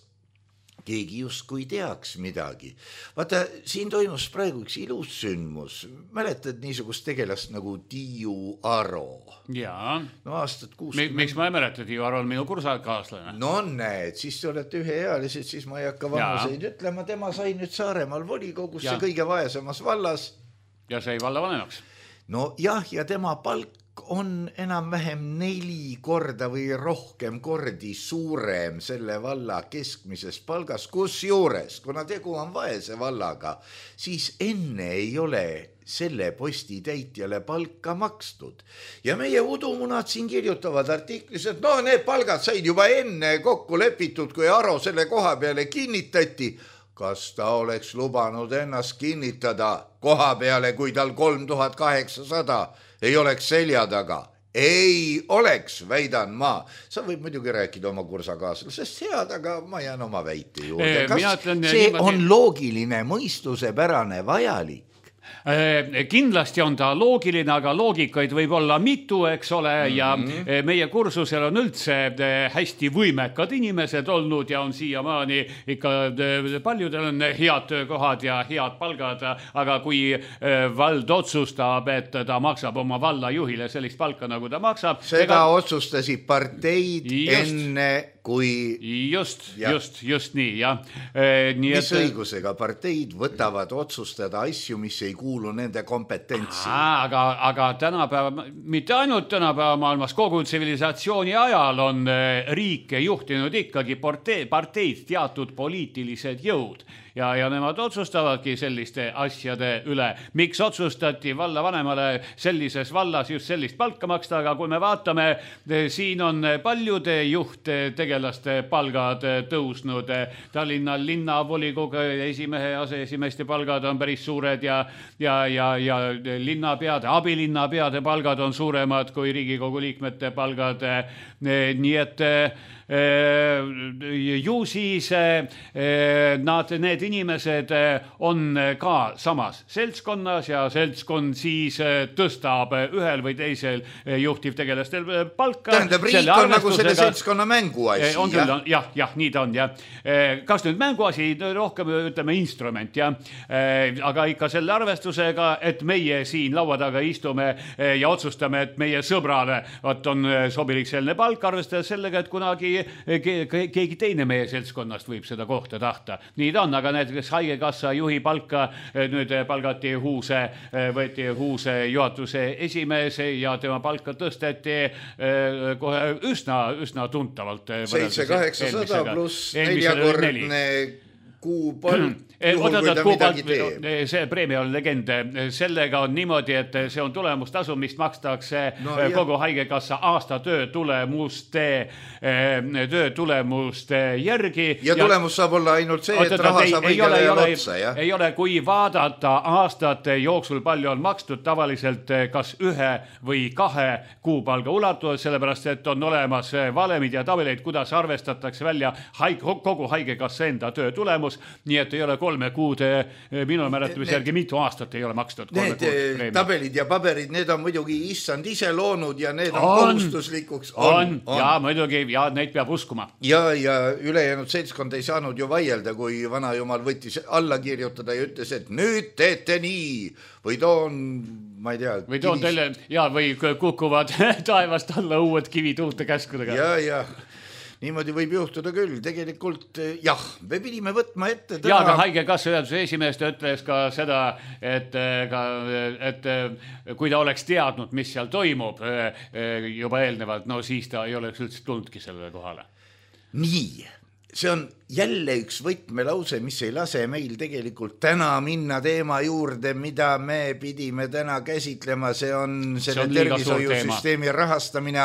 keegi justkui teaks midagi. Vaata, siin toimus praegu üks ilus sündmus. Mäletad niisugust tegelast nagu Tiiu Aro? Jaa. No aastat 60. Miks ma ei mäleta, Tiiu Aro on minu kursakaaslane. No näed, siis te olete üheealised, siis ma ei hakka vanuseid ütlema. Tema sai nüüd Saaremaal volikogusse kõige vaesemas vallas. Ja sai vallavanemaks. No jah, ja tema palk on enam-vähem 4 korda või rohkem kordi suurem selle valla keskmises palgas, kus juures, kuna tegu on vaese vallaga, siis enne ei ole selle posti täitjale palka makstud. Ja meie udumunad siin kirjutavad artiklis, et no need palgad said juba enne kokku lepitud, kui Aro selle koha peale kinnitati. Kas ta oleks lubanud ennast kinnitada koha peale, kui tal 3800 ei oleks selja taga? Ei oleks, väidan ma. Sa võib muidugi rääkida oma kursakaaslasest head, aga ma jään oma väite juurde. Kas see on loogiline, mõistusepärane, vajalik? Kindlasti on ta loogiline, aga loogikaid võib olla mitu, eks ole, ja meie kursusel on üldse hästi võimekad inimesed olnud ja on siiamaani ikka paljudel on head töökohad ja head palgad, aga kui vald otsustab, et ta maksab oma valla juhile sellist palka, nagu ta maksab. Seda otsustasid parteid enne kui... Just nii, jah. Mis õigusega parteid võtavad otsustada asju, mis ei kuulu nende kompetentsi? Aga tänapäeva, mitte ainult tänapäeva maailmas, kogu tsivilisatsiooni ajal on riike juhtinud ikkagi parteid teatud poliitilised jõud. Ja nemad otsustavadki selliste asjade üle. Miks otsustati vallavanemale sellises vallas just sellist palka maksta, aga kui me vaatame, siin on paljude juhttegelaste palgad tõusnud. Tallinna linnavolikogu esimehe aseesimeeste palgad on päris suured ja linnapeade, abilinnapeade palgad on suuremad kui Riigikogu liikmete palgad. Nii et ju siis need inimesed on ka samas seltskonnas ja seltskond siis tõstab ühel või teisel juhtivtegelastel palka. Tähendab, riik on nagu selle seltskonna mänguasi. Jah, nii ta on. Kas nüüd mänguasi, rohkem ütleme instrument, aga ikka selle arvestusega, et meie siin laua taga istume ja otsustame, et meie sõbrale on sobilik selline palk, arvestades sellega, et kunagi keegi teine meie seltskonnast võib seda kohta tahta. Nii ta on, aga näiteks haigekassa juhi palka nüüd palgati võeti Huuse juhatuse esimees ja tema palka tõsteti kohe üsna tuntavalt. 700-800 pluss 4-kordne kuupalk. See preemia on legend. Sellega on niimoodi, et see on tulemustasu, mis makstakse kogu haigekassa aasta töötulemuste järgi. Ja tulemus saab olla ainult see, et raha saab õigele otsa. Ei ole, kui vaadata aastate jooksul palju on makstud tavaliselt kas 1 või 2 kuupalga ulatuses, sellepärast, et on olemas valemid ja tabeleid, kuidas arvestatakse välja kogu haigekassa enda töötulemus, nii et ei ole 3 kuud, minu mäletamise järgi mitu aastat ei ole makstud. Need tabelid ja paberid, need on muidugi issand ise loonud ja need on kohustuslikuks. Ja muidugi, ja neid peab uskuma. Ja ülejäänud seltskond ei saanud ju vaielda, kui vanajumal võttis alla kirjutada ja ütles, et nüüd teete nii või toon, ma ei tea. Või toon teile, või kukuvad taevast alla uued kivid uute käskudega. Ja. Niimoodi võib juhtuda küll. Tegelikult jah, me pidime võtma ette täna... aga haigekassa juhatuse esimees ütles ka seda, et kui ta oleks teadnud, mis seal toimub juba eelnevalt, no siis ta ei oleks üldse tulnudki sellele kohale. Nii, see on jälle üks võtmelause, mis ei lase meil tegelikult täna minna teema juurde, mida me pidime täna käsitlema. See on selle tervishoiusüsteemi rahastamine,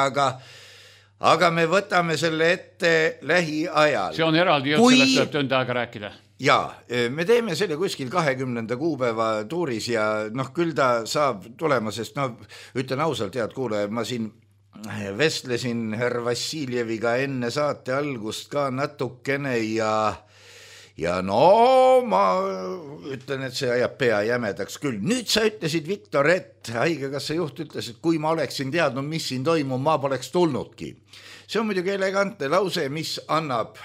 aga me võtame selle ette lähiajal. See on eraldi jutt, sellest tuleb tund aega rääkida. Jaa, me teeme selle kuskil 20. kuupäeva tuuris ja küll ta saab tulema, sest ütlen ausalt, head kuulajad, ma siin vestlesin härra Vassiljeviga enne saate algust ka natukene ja ja no ma ütlen, et see ajab pea jämedaks küll. Nüüd sa ütlesid, Viktor, et haigekassa juht ütles, et kui ma oleksin teadnud, mis siin toimub, ma poleks tulnudki. See on muidugi elegantne lause, mis annab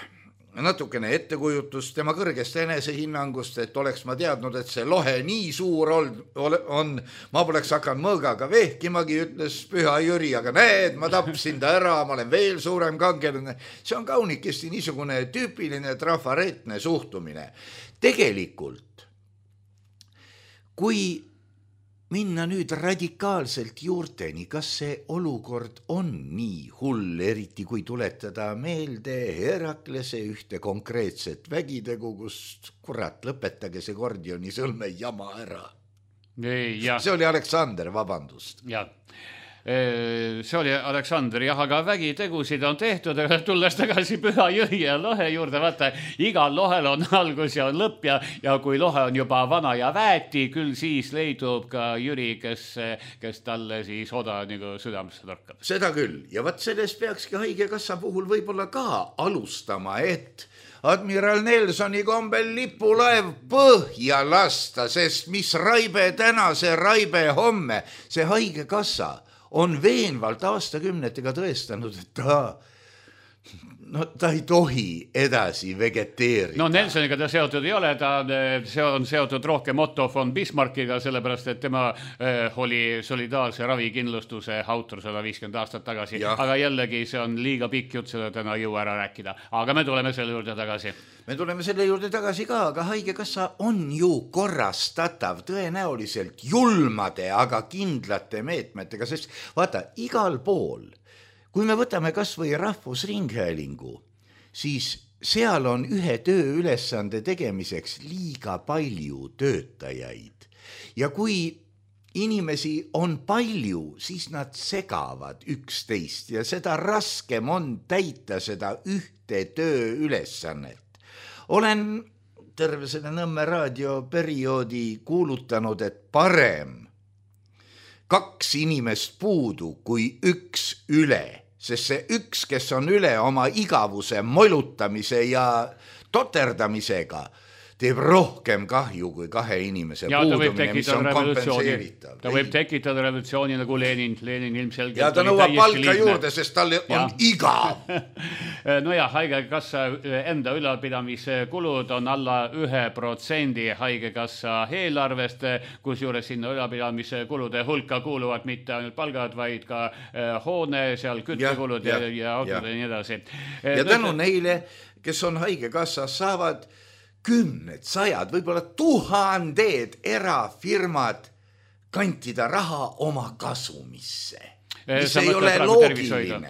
natukene ettekujutust tema kõrgest enesehinnangust, et oleks ma teadnud, et see lohe nii suur on, ma poleks hakanud mõõgaga vehkimagi, ütles Püha Jüri, aga näed, ma tapsin ta ära, ma olen veel suurem kangelane. See on kaunikesti niisugune tüüpiline trafaretne suhtumine. Tegelikult, kui minna nüüd radikaalselt juurteni, kas see olukord on nii hull, eriti kui tuletada meelde Heraklese ühte konkreetset vägitegu, kus kurat, lõpetage see Gordioni sõlme jama ära. See oli Aleksander, vabandust. Jah. See oli Aleksander, jah, aga vägitegusid on tehtud, aga tulles tagasi Püha Jüri ja lohe juurde, vaata, igal lohel on algus ja on lõpp ja kui lohe on juba vana ja väeti, küll siis leidub ka Jüri, kes talle siis oda nagu südamesse torkab. Seda küll, ja vaat sellest peakski haigekassa puhul võib-olla ka alustama, et admiral Nelsoni kombel lipulaev põhja lasta, sest mis raibe täna, see raibe homme, see haigekassa on veenvalt aastakümnetega tõestanud, et ta ei tohi edasi vegeteerida. No Nelsoniga ta seotud ei ole, see on seotud rohkem Otto von Bismarckiga, sellepärast et tema oli solidaarse ravikindlustuse autor 150 aastat tagasi, aga jällegi see on liiga pikk jutt, seda täna ei jõua ära rääkida. Aga me tuleme selle juurde tagasi. Me tuleme selle juurde tagasi ka, aga haigekassa on ju korrastatav tõenäoliselt julmade, aga kindlate meetmetega, sest vaata, igal pool, kui me võtame kas või Rahvusringhäälingu, siis seal on ühe tööülesande tegemiseks liiga palju töötajaid. Ja kui inimesi on palju, siis nad segavad üksteist ja seda raskem on täita seda ühte tööülesannet. Olen terve selle Nõmme raadioperioodi kuulutanud, et parem 2 inimest puudu kui 1 üle, sest see 1, kes on üle oma igavuse, molutamise ja toterdamisega, teeb rohkem kahju kui 2 inimese puudumine, mis on kompenseeritav. Ta võib tekitada revolutsiooni nagu Lenin ilmselgelt. Ja ta nõuab palka juurde, sest tal on igav. No ja, haigekassa enda ülalpidamiskulud on alla 1% haigekassa eelarvest, kus juures sinna ülalpidamiskulude hulka kuuluvad mitte ainult palgad, vaid ka hoone, seal küttekulud ja autod ja nii edasi. Ja tänu neile, kes on haigekassas, saavad 10, 100, võib-olla 1000 erafirmad kantida raha oma kasumisse. Mis ei ole loogiline.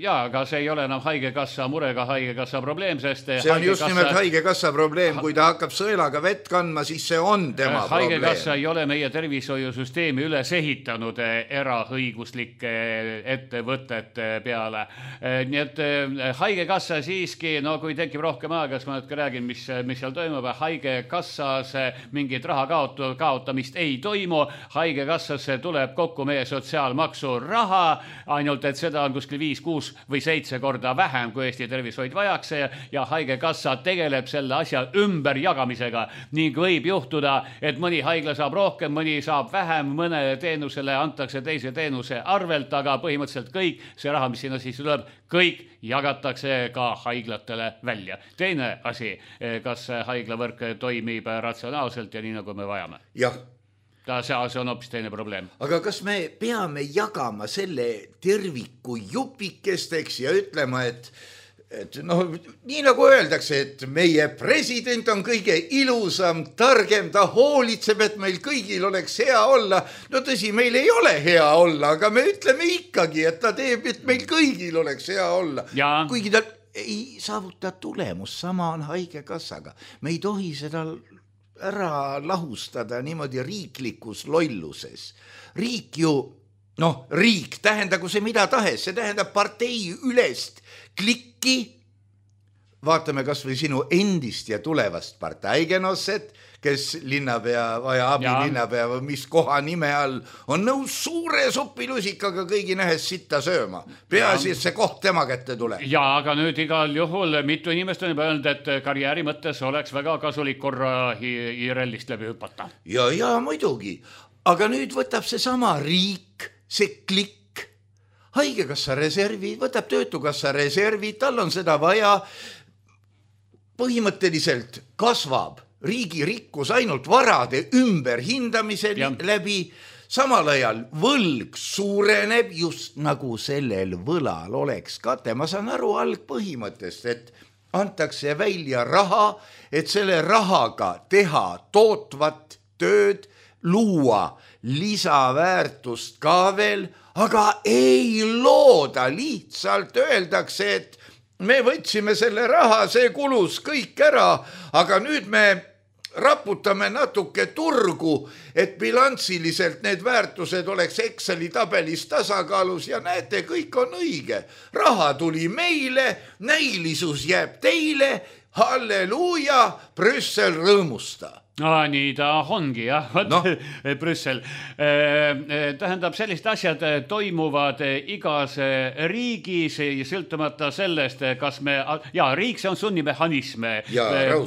Jaa, aga see ei ole enam haigekassa murega haigekassa probleem, sest see on just nimelt haigekassa probleem, kui ta hakkab sõelaga vett kandma, siis see on tema probleem. Haigekassa ei ole meie tervishoiusüsteemi üles ehitanud eraõiguslike ettevõtete peale. Nii et haigekassa siiski, no kui tekib rohkem aega, siis ma natuke räägin, mis seal toimub. Haigekassas mingit raha kaotamist ei toimu. Haigekassasse tuleb kokku meie sotsiaalmaksu raha, ainult et seda on kuskil 5, 6 või 7 korda vähem, kui Eesti tervishoid vajaks ja haigekassa tegeleb selle asja ümberjagamisega ning võib juhtuda, et mõni haigla saab rohkem, mõni saab vähem, mõne teenusele antakse teise teenuse arvelt, aga põhimõtteliselt kõik see raha, mis sinna siis tuleb, kõik jagatakse ka haiglatele välja. Teine asi, kas haiglavõrk toimib ratsionaalselt ja nii nagu me vajame? Jah. See on hoopis teine probleem. Aga kas me peame jagama selle terviku jupikesteks ja ütlema, et nii nagu öeldakse, et meie president on kõige ilusam, targem, ta hoolitseb, et meil kõigil oleks hea olla. No tõsi, meil ei ole hea olla, aga me ütleme ikkagi, et ta teeb, et meil kõigil oleks hea olla. Kuigi ta ei saavuta tulemus, sama on haigekassaga. Me ei tohi seda ära lahustada niimoodi riiklikus lolluses. Riik ju, riik tähendagu see mida tahes, see tähendab partei ülest klikki, vaatame kas või sinu endist ja tulevast partaigenosset, kes linnapea või abilinnapea või mis koha nime all on nõus suure supilusikaga kõigi nähes sitta sööma. Peaasi, et see koht tema kätte tuleb. Ja, aga nüüd igal juhul mitu inimest on juba öelnud, et karjääri mõttes oleks väga kasulik korra IRL-ist läbi hüpata. Ja muidugi. Aga nüüd võtab see sama riik, see klikk, haigekassa reservi, võtab töötukassa reservi, tal on seda vaja, põhimõtteliselt kasvab riigi rikkus ainult varade ümberhindamise läbi, samal ajal võlg suureneb, just nagu sellel võlal oleks kate. Ma saan aru algpõhimõttest, et antakse välja raha, et selle rahaga teha tootvat tööd, luua lisaväärtust ka veel, aga ei looda, lihtsalt öeldakse, et me võtsime selle raha, see kulus kõik ära, aga nüüd me raputame natuke turgu, et bilansiliselt need väärtused oleks Exceli tabelis tasakaalus ja näete, kõik on õige. Raha tuli meile, näilisus jääb teile, halleluuja, Brüssel rõõmusta. Nii ta ongi, jah, Brüssel. Tähendab, sellised asjad toimuvad igas riigis, sõltumata sellest, kas me, riik see on sunnimehhanism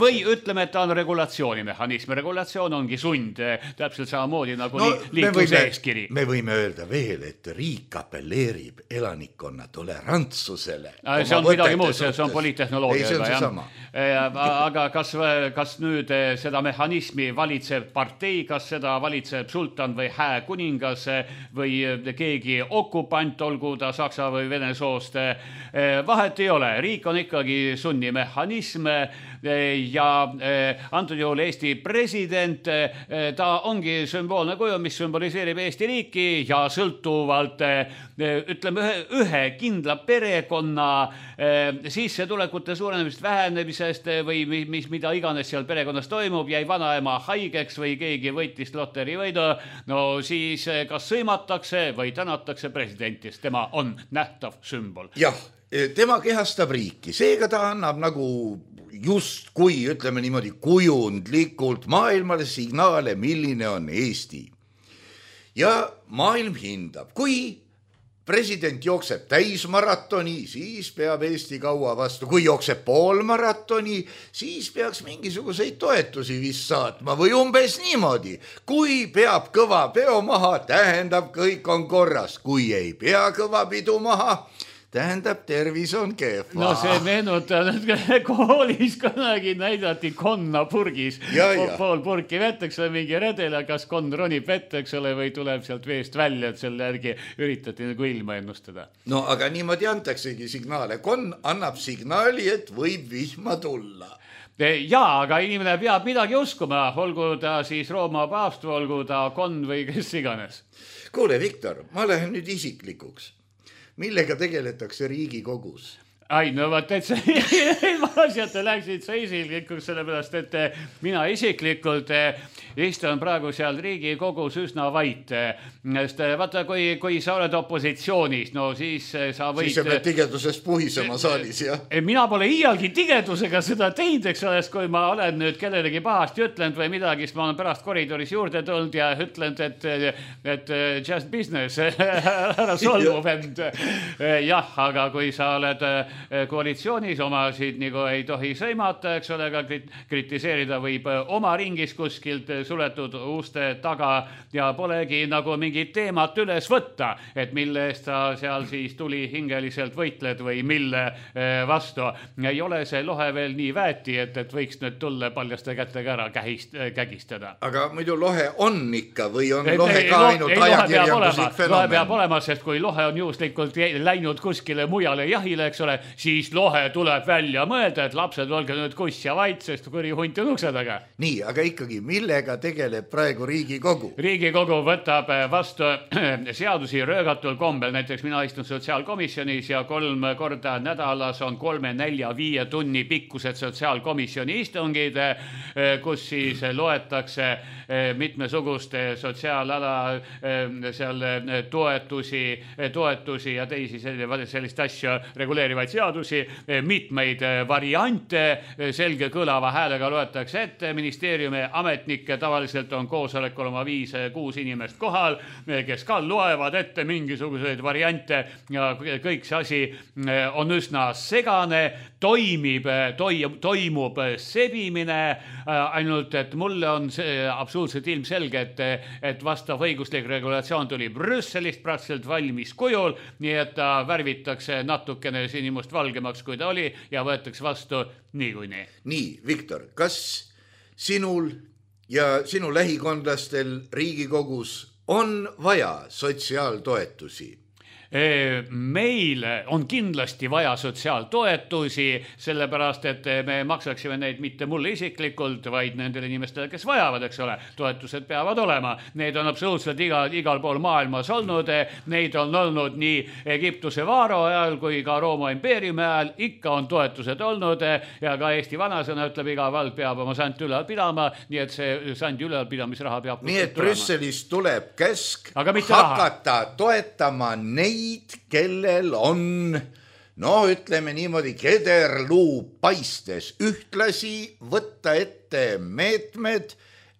või ütleme, et ta on regulatsioonimehhanism. Regulatsioon ongi sund, täpselt samamoodi nagu liikluse eeskiri. Me võime öelda veel, et riik appelleerib elanikkonna tolerantsusele. See on midagi muud, see on poliittehnoloogia. Aga kas nüüd seda mehhanismi valitseb partei, kas seda valitseb sultan või hääkuningas või keegi okupant, olgu ta saksa või vene soost, vahet ei ole. Riik on ikkagi sunnimehhanism ja antud juhul Eesti president, ta ongi sümboolne kuju, mis symboliseerib Eesti riiki ja sõltuvalt ütleme ühe kindla perekonna sissetulekute suurenemist, vähenemisest või mida iganes seal perekonnas toimub, jäi vanaema haigeks või keegi võitis loterivõidu, no siis kas sõimatakse või tänatakse presidentist, tema on nähtav sümbol. Jah, tema kehastab riiki, seega ta annab nagu just kui, ütleme niimoodi, kujundlikult maailmale signaale, milline on Eesti. Ja maailm hindab, kui president jookseb täismaratoni, siis peab Eesti kaua vastu. Kui jookseb poolmaratoni, siis peaks mingisuguseid toetusi vist saatma või umbes niimoodi. Kui peab kõva peo maha, tähendab kõik on korras. Kui ei pea kõva pidu maha, tähendab tervis on kehva. No see meenutab, et koolis kunagi näidati konna purgis. Pool purki vetteks või mingi redel, kas konn ronib vette, eks ole, või tuleb sealt veest välja, et selle järgi üritati nagu ilma ennustada. No aga niimoodi antaksegi signaale. Konn annab signaali, et võib vihma tulla. Jaa, aga inimene peab midagi uskuma, olgu ta siis Rooma paavst, olgu ta konn või kes iganes. Kuule, Viktor, ma lähen nüüd isiklikuks. Millega tegeletakse Riigikogus? Ai, no vaat, et see asjad läksid sa isiklikuks, sellepärast, et mina isiklikult istun praegu seal Riigikogus üsna vait. Vaata, kui sa oled opositsioonis, no siis sa võid... Siis sa pead tigedusest puhisema saalis, jah? Mina pole iialgi tigedusega seda teinud, eks oleks, kui ma olen nüüd kellelegi pahasti ütlenud või midagi, siis ma olen pärast koridoris juurde tulnud ja ütlenud, et just business, ära solvu vend. Jah, aga kui sa oled koalitsioonis, omasid nagu ei tohi sõimata, eks ole, aga kritiseerida võib oma ringis kuskilt suletud uste taga ja polegi nagu mingit teemat üles võtta, et mille eest sa seal siis tuli hingeliselt võitled või mille vastu. Ei ole see lohe veel nii väeti, et võiks nüüd tulla paljaste kätega ära kägistada. Aga muidu lohe on ikka või on lohe ka ainult ajakirjanduslik fenomen? Lohe peab olema, sest kui lohe on juhuslikult läinud kuskile mujale jahile, eks ole, siis lohe tuleb välja mõelda, et lapsed olge nüüd kuss ja vait, sest kuri hunt on ukse taga. Nii, aga ikkagi, millega tegeleb praegu Riigikogu? Riigikogu võtab vastu seadusi röögatul kombel, näiteks mina istun sotsiaalkomisjonis ja 3 korda nädalas on 3, 4, 5 tunni pikkused sotsiaalkomisjoni istungid, kus siis loetakse mitmesuguste sotsiaalala seal toetusi ja teisi sellist asju reguleerivaid seadusi, mitmeid variante, selge kõlava häälega loetakse ette, ministeeriumi ametnikke tavaliselt on koosolekul oma 5-6 inimest kohal, kes ka loevad ette mingisuguseid variante ja kõik see asi on üsna segane, toimub sebimine, ainult et mulle on see absoluutselt ilmselge, et vastav õiguslik regulatsioon tuli Brüsselist praktiliselt valmis kujul, nii et ta värvitakse natukene sinimust valgemaks, kui ta oli ja võetakse vastu niikuinii. Nii, Viktor, kas sinul ja sinu lähikondlastel Riigikogus on vaja sotsiaaltoetusi? Meil on kindlasti vaja sotsiaaltoetusi, sellepärast et me maksaksime neid mitte mulle isiklikult, vaid nendele inimestele, kes vajavad, eks ole. Toetused peavad olema. Need on absoluutselt igal pool maailmas olnud. Neid on olnud nii Egiptuse Vaaro ajal kui ka Rooma impeeriumi ajal. Ikka on toetused olnud ja ka Eesti vanasõna ütleb, iga vald peab oma sant ülal pidama, nii et see sandi ülalpidamisraha peab nii et Brüsselist tuleb käsk hakata toetama neid, kellel on, ütleme niimoodi, kederluu paistes. Ühtlasi võtta ette meetmed,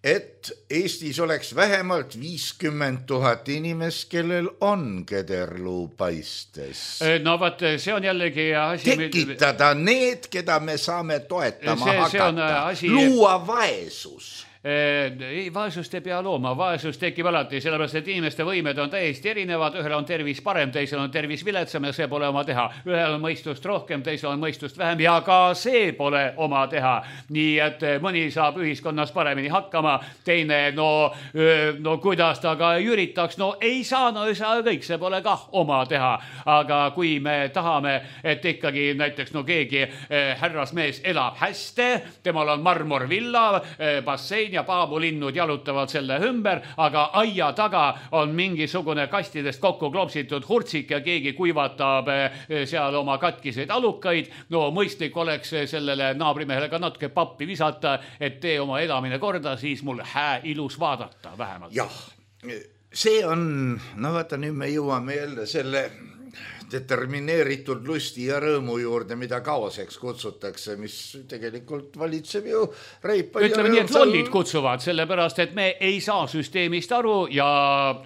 et Eestis oleks vähemalt 50 000 inimest, kellel on kederluu paistes. No vaat, see on jällegi asi... Tekitada need, keda me saame toetama hakata. Asi... Luua vaesus. Ei, vaesust ei pea looma, vaesus tekib alati, sellepärast, et inimeste võimed on täiesti erinevad, ühel on tervis parem, teisel on tervis viletsam ja see pole oma teha. Ühel on mõistust rohkem, teisel on mõistust vähem ja ka see pole oma teha. Nii et mõni saab ühiskonnas paremini hakkama, teine, kuidas ta ka üritaks, ei saa kõik, see pole kah oma teha. Aga kui me tahame, et ikkagi näiteks keegi härrasmees elab hästi, temal on marmorvilla, bassein ja paabulinnud jalutavad selle ümber, aga aia taga on mingisugune kastidest kokku klopsitud hurtsik ja keegi kuivatab seal oma katkiseid alukaid. Mõistlik oleks sellele naabrimehele ka natuke pappi visata, et tee oma edamine korda, siis mul ilus vaadata vähemalt. Jah, see on, vaata nüüd me jõuame jälle selle determineeritud lusti ja rõõmu juurde, mida kaoseks kutsutakse, mis tegelikult valitseb ju reipa. Ütleme nii, et lollid kutsuvad, sellepärast, et me ei saa süsteemist aru ja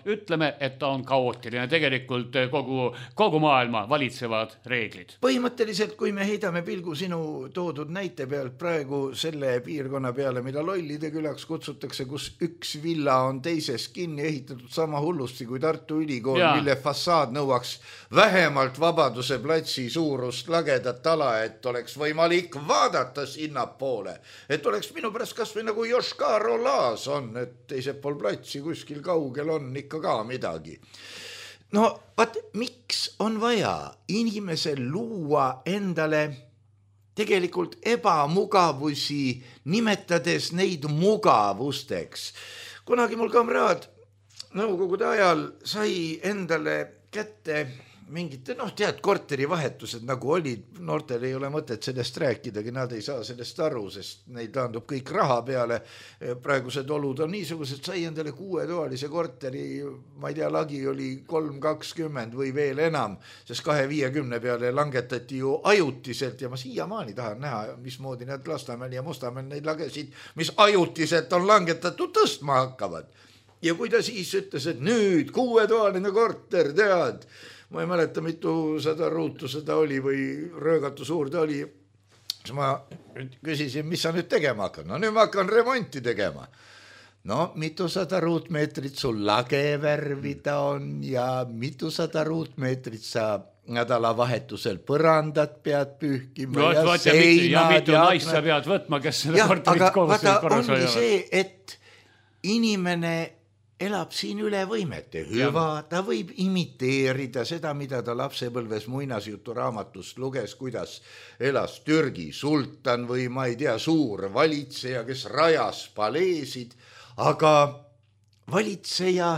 ütleme, et ta on kaootiline. Tegelikult kogu maailma valitsevad reeglid. Põhimõtteliselt, kui me heidame pilgu sinu toodud näite pealt praegu selle piirkonna peale, mida lollide külaks kutsutakse, kus üks villa on teises kinni ehitatud sama hullusti kui Tartu Ülikool, mille fassaad nõuaks vähemalt Vabaduse platsi suurust lagedat ala, et oleks võimalik vaadata sinnapoole, et oleks minu pärast kas või nagu Joškaro laas on, et teised pool platsi kuskil kaugel on ikka ka midagi. Vaat, miks on vaja inimesel luua endale tegelikult ebamugavusi, nimetades neid mugavusteks? Kunagi mul kamraad nõukogude ajal sai endale kätte mingite, korterivahetused nagu olid, noortel ei ole mõtet sellest rääkidagi, nad ei saa sellest aru, sest neid taandub kõik raha peale. Praegused olud on niisugused, sai endale 6-toalise korteri, ma ei tea, lagi oli 320 või veel enam, sest 250 peale langetati ju ajutiselt ja ma siiamaani tahan näha, mismoodi need Lasnamäel ja Mustamäel neid lagesid, mis ajutiselt on langetatud, tõstma hakkavad. Ja kui ta siis ütles, et nüüd 6-toaline korter, tead, ma ei mäleta, mitu 100 ruutu seda oli või röögatu suur ta oli. Siis ma küsisin, mis sa nüüd tegema hakkan? Nüüd ma hakkan remonti tegema. Mitu 100 ruutmeetrit sul lage värvida on ja mitu 100 ruutmeetrit sa nädalavahetusel põrandat pead pühkima ja seinad. Ja mitu naist sa pead võtma, kes seda korterit korras hoiavad. Ongi see, et inimene elab siin üle võimete. Hüva, ta võib imiteerida seda, mida ta lapsepõlves muinasjutu raamatust luges, kuidas elas Türgi sultan või ma ei tea, suur valitseja, kes rajas paleesid, aga valitseja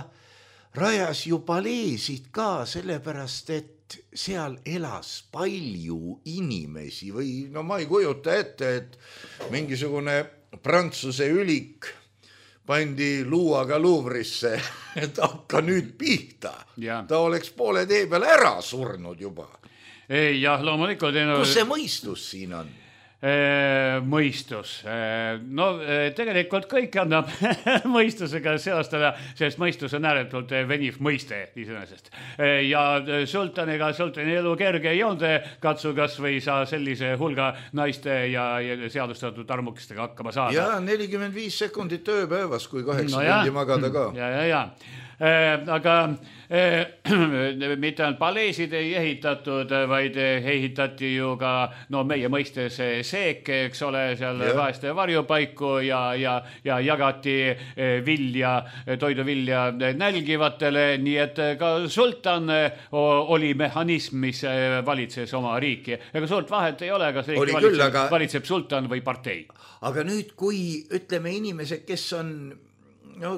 rajas ju paleesid ka sellepärast, et seal elas palju inimesi või ma ei kujuta ette, et mingisugune Prantsuse ülik pandi luuaga Luuvrisse, et hakka nüüd pihta. Ta oleks poole tee peal ära surnud juba. Jah, loomulikult. Kus see mõistus siin on? Mõistus. No tegelikult kõik annab mõistusega seostada, sest mõistus on ääretult veniv mõiste iseenesest. Ja sultani elu kerge ei olnud, katsu kas või sa sellise hulga naiste ja seadustatud armukestega hakkama saada. Ja 45 sekundit ööpäevas, kui 8 tundi magada ka. Ja. Aga mitte ainult paleesid ei ehitatud, vaid ehitati ju ka meie mõistes seeke, eks ole, seal vaeste varjupaiku ja jagati toiduvilja nälgivatele, nii et ka sultan oli mehhanism, mis valitses oma riiki. Ega suurt vahet ei ole, kas riiki valitseb sultan või partei. Aga nüüd, kui ütleme inimesed, kes on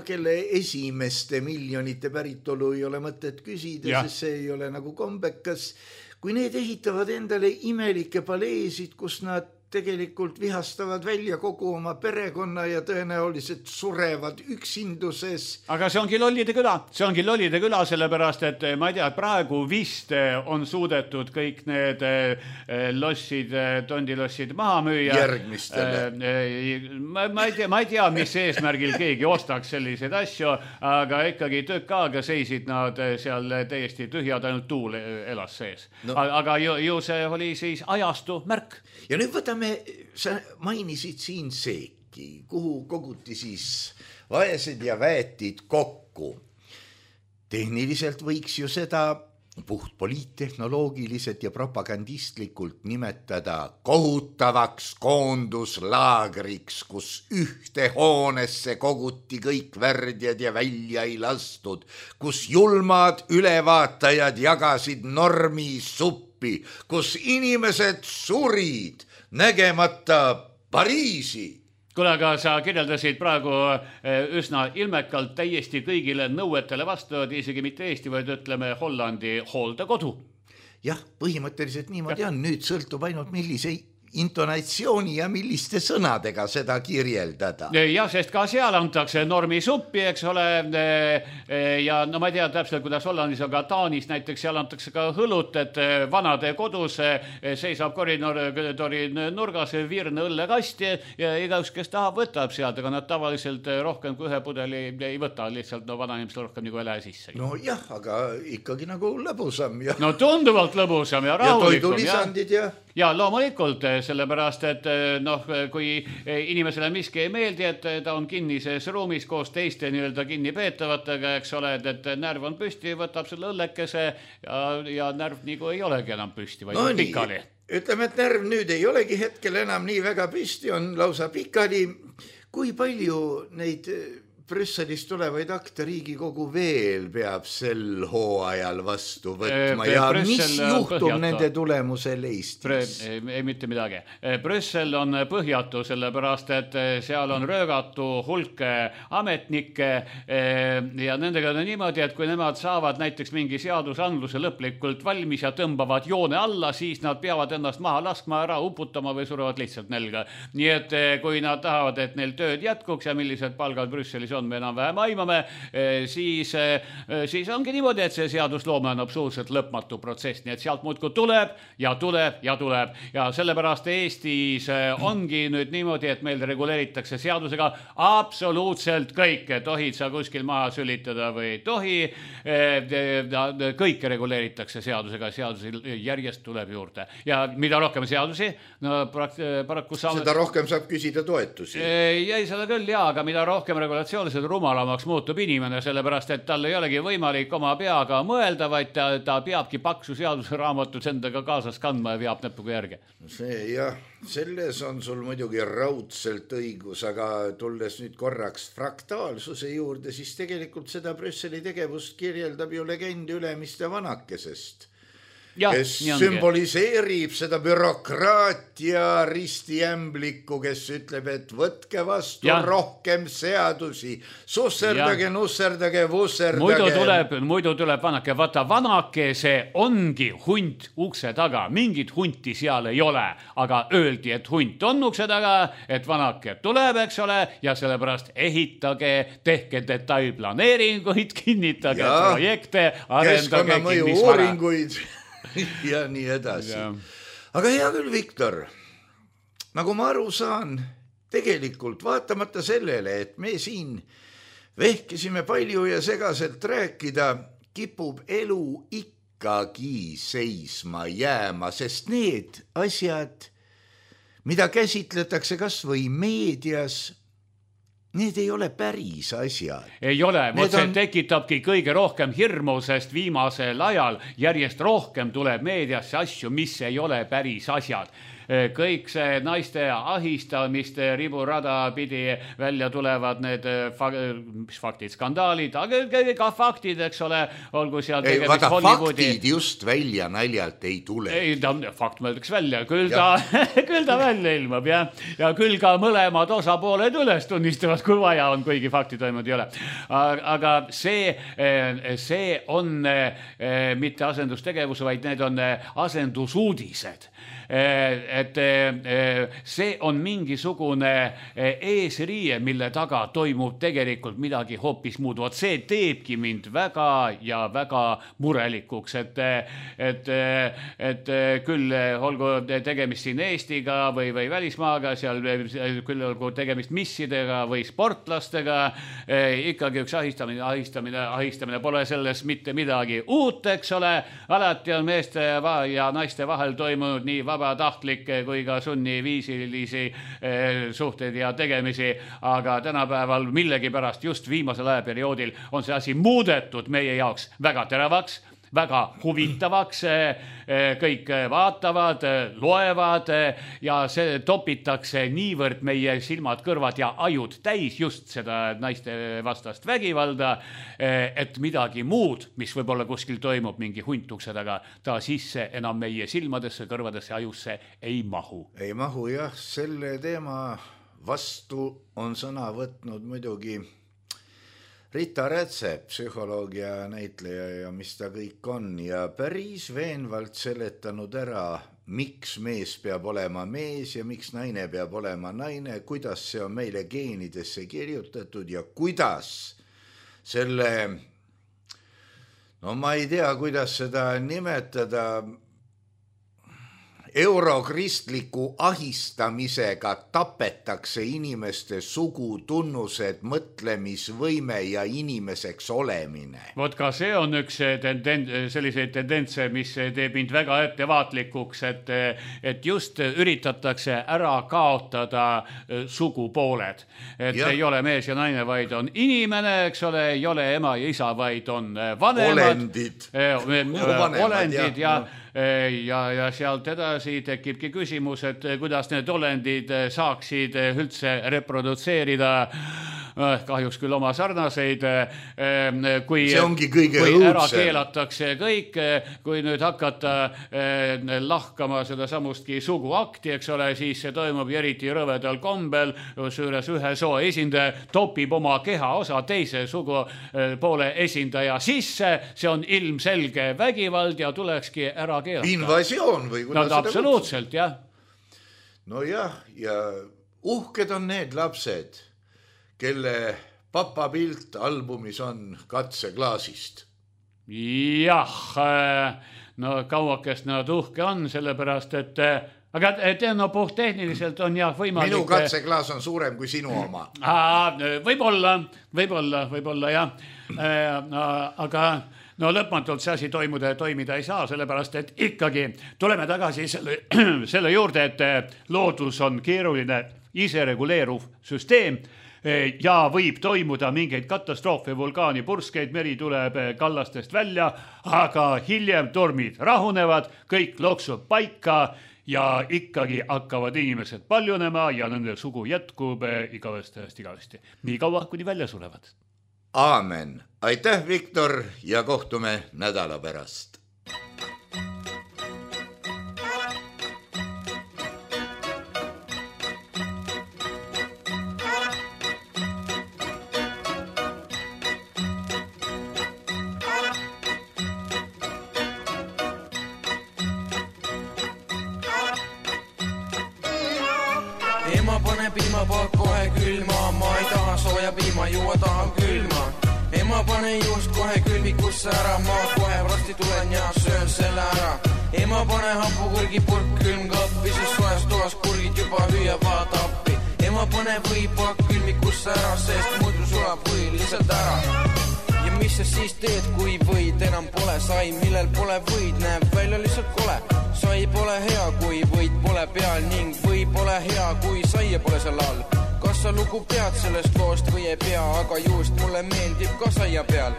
kelle esimeste miljonite päritolu ei ole mõtet küsida, sest see ei ole nagu kombekas. Kui need ehitavad endale imelikke paleesid, kus nad tegelikult vihastavad välja kogu oma perekonna ja tõenäoliselt surevad üksinduses. Aga see ongi lollide küla, sellepärast, et ma ei tea, praegu vist on suudetud kõik need tondilossid maha müüa. Järgmistele. Ma ei tea, mis eesmärgil keegi ostaks selliseid asju, aga ikkagi tükk aega seisid nad seal täiesti tühjad, ainult tuul elas sees. Aga ju see oli siis ajastu märk. Ja nüüd võtame, sa mainisid siin seeki, kuhu koguti siis vaesed ja väetid kokku. Tehniliselt võiks ju seda puht poliittehnoloogiliselt ja propagandistlikult nimetada kohutavaks koonduslaagriks, kus ühte hoonesse koguti kõik värdjad ja välja ei lastud, kus julmad ülevaatajad jagasid normi suppi, kus inimesed surid nägemata Pariisi. Kuule, aga sa kirjeldasid praegu üsna ilmekalt täiesti kõigile nõuetele vastu, isegi mitte Eesti, vaid ütleme Hollandi hooldekodu. Jah, põhimõtteliselt niimoodi on. Nüüd sõltub ainult millise intonatsiooni ja milliste sõnadega seda kirjeldada. Ja, sest ka seal antakse normi suppi, eks ole, ja no ma ei tea täpselt, kuidas Hollandis, aga Taanis näiteks seal antakse ka hõlut, et vanade kodus seisab koridori nurgas virne õllekasti ja igaüks, kes tahab, võtab sealt, aga nad tavaliselt rohkem kui ühe pudeli ei võta, lihtsalt vana inimesel rohkem nagu ei lähe sisse. No jah, aga ikkagi nagu lõbusam. Ja... No tunduvalt lõbusam ja rahulikum. Ja toidulisandid ja loomulikult, sellepärast, et kui inimesele miski ei meeldi, et ta on kinnises ruumis koos teiste nii-öelda kinnipeetavatega, eks ole, et närv on püsti, võtab selle õllekese ja närv nagu ei olegi enam püsti, vaid no pikali. Ütleme, et närv nüüd ei olegi hetkel enam nii väga püsti, on lausa pikali. Kui palju neid Brüsselist tulevaid akte Riigikogu veel peab sel hooajal vastu võtma ja mis juhtub nende tulemusel Eestis? Ei mitte midagi. Brüssel on põhjatu, sellepärast, et seal on röögatu hulk ametnikke ja nendega on niimoodi, et kui nemad saavad näiteks mingi seadusandluse lõplikult valmis ja tõmbavad joone alla, siis nad peavad ennast maha laskma, ära uputama või surevad lihtsalt nälga. Nii et kui nad tahavad, et neil tööd jätkuks ja millised palgad Brüsselis on, me enam vähem aimame, siis ongi niimoodi, et see seadusloome on absoluutselt lõpmatu protsess, nii et sealt muudkui tuleb ja tuleb ja tuleb ja sellepärast Eestis ongi nüüd niimoodi, et meil reguleeritakse seadusega absoluutselt kõike, tohid sa kuskil maha sülitada või ei tohi, kõike reguleeritakse seadusega, seadusi järjest tuleb juurde ja mida rohkem seadusi, no paraku saame... Seda rohkem saab küsida toetusi. Jäi seda küll, aga mida rohkem regulatsiooni, seda rumalamaks muutub inimene, sellepärast, et tal ei olegi võimalik oma peaga mõelda, vaid ta peabki paksu seadusraamatut endaga kaasas kandma ja veab näpuga järge. See jah, selles on sul muidugi raudselt õigus, aga tulles nüüd korraks fraktaalsuse juurde, siis tegelikult seda Brüsseli tegevust kirjeldab ju legend Ülemiste vanakesest. Kes sümboliseerib seda bürokraatia ristiämblikku, kes ütleb, et võtke vastu rohkem seadusi, susserdage, nusserdage, vusserdage. Muidu tuleb vanake, vaata vanake, see ongi hunt ukse taga, mingit hunti seal ei ole, aga öeldi, et hunt on ukse taga, et vanake tuleb, eks ole, ja sellepärast ehitage, tehke detailplaneeringuid, kinnitage projekte, arendage kinnisvara. Keskkonnamõju uuringuid. ja nii edasi. Aga hea küll, Viktor, nagu ma aru saan, tegelikult vaatamata sellele, et me siin vehkisime palju ja segaselt rääkida, kipub elu ikkagi seisma jääma, sest need asjad, mida käsitletakse kas või meedias, need ei ole päris asjad. Ei ole, see tekitabki kõige rohkem hirmu, sest viimasel ajal järjest rohkem tuleb meediasse asju, mis ei ole päris asjad. Kõik see naiste ahistamiste riburada pidi välja tulevad need faktid, skandaalid, aga ka faktid, eks ole, olgu seal tegemist Hollywoodi. Faktid just välja naljalt ei tule. Ei, fakt mõeldaks välja, küll ta välja ilmab, ja küll ka mõlemad osapooled üles tunnistavad, kui vaja on, kuigi fakti toimud ei ole. Aga see on mitte asendustegevus, vaid need on asendusuudised. Et see on mingisugune eesriie, mille taga toimub tegelikult midagi hoopis muud. See teebki mind väga ja väga murelikuks, et küll olgu tegemist siin Eestiga või välismaaga, seal küll olgu tegemist missidega või sportlastega, ikkagi üks ahistamine pole selles mitte midagi uut, eks ole. Alati on meeste ja naiste vahel toimunud nii vabatahtlikke kui ka sunniviisilisi suhteid ja tegemisi, aga tänapäeval millegipärast just viimasel ajaperioodil on see asi muudetud meie jaoks väga teravaks, väga huvitavaks, kõik vaatavad, loevad ja see topitakse niivõrd meie silmad, kõrvad ja ajud täis just seda naiste vastast vägivalda, et midagi muud, mis võib-olla kuskil toimub mingi huntukse taga, ta sisse enam meie silmadesse, kõrvadesse, ajusse ei mahu. Ei mahu jah, selle teema vastu on sõna võtnud muidugi Rita Rätsep, psühholoogia näitleja ja mis ta kõik on ja päris veenvalt seletanud ära, miks mees peab olema mees ja miks naine peab olema naine, kuidas see on meile geenidesse kirjutatud ja kuidas selle, no ma ei tea, kuidas seda nimetada, eurokristliku ahistamisega tapetakse inimeste sugutunnused, mõtlemisvõime ja inimeseks olemine. Vot ka see on üks selliseid tendentse, mis teeb mind väga ettevaatlikuks, et just üritatakse ära kaotada sugupooled. Et ei ole mees ja naine, vaid on inimene, eks ole, ei ole ema ja isa, vaid on vanemad. Olendid ja sealt edasi tekibki küsimus, et kuidas need olendid saaksid üldse reprodutseerida kahjuks küll oma sarnaseid, kui ära keelatakse kõik, kui nüüd hakata lahkama seda samustki suguakti, eks ole, siis see toimub eriti rõvedal kombel, süüres ühe soo esindaja topib oma keha osa teise sugupoole esindaja sisse, see on ilmselge vägivald ja tulekski ära keelata. Invasioon või kuidas seda absoluutselt, jah. No jah, ja uhked on need lapsed, kelle papapilt albumis on katseklaasist. Jah, no kauakest nad uhke on, sellepärast, et aga no puhttehniliselt on jah võimalik. Minu katseklaas on suurem kui sinu oma. Võib-olla jah, aga no lõpmatult see asi toimida ei saa, sellepärast, et ikkagi tuleme tagasi selle juurde, et loodus on keeruline isereguleeruv süsteem, ja võib toimuda mingeid katastroofe, vulkaani purskeid, meri tuleb kallastest välja, aga hiljem tormid rahunevad, kõik loksub paika ja ikkagi hakkavad inimesed paljunema ja nende sugu jätkub igavesti. Nii kaua, kuni välja sulevad. Aamen. Aitäh, Viktor, ja kohtume nädala pärast. Ema pane piimapaak kohe külma, ma ei taha sooja piima, juua tahan külma. Ema pane juust kohe külmikusse ära, ma kohe varsti tulen ja söön selle ära. Ema pane hapukurgi purk külmkappi, sest sojas toas kurgid juba hüüavad appi. Ema pane võipakk külmikusse ära, sest muidu sulab või lihtsalt ära. Ja mis sa siis teed, kui võid enam pole? Sai, millel pole võid, näeb välja lihtsalt kole. Sai pole hea, kui võid pole peal ning või pole hea, kui saia pole seal all. Kas sa lugu pead sellest loost või ei pea, aga just mulle meeldib ka saia peal.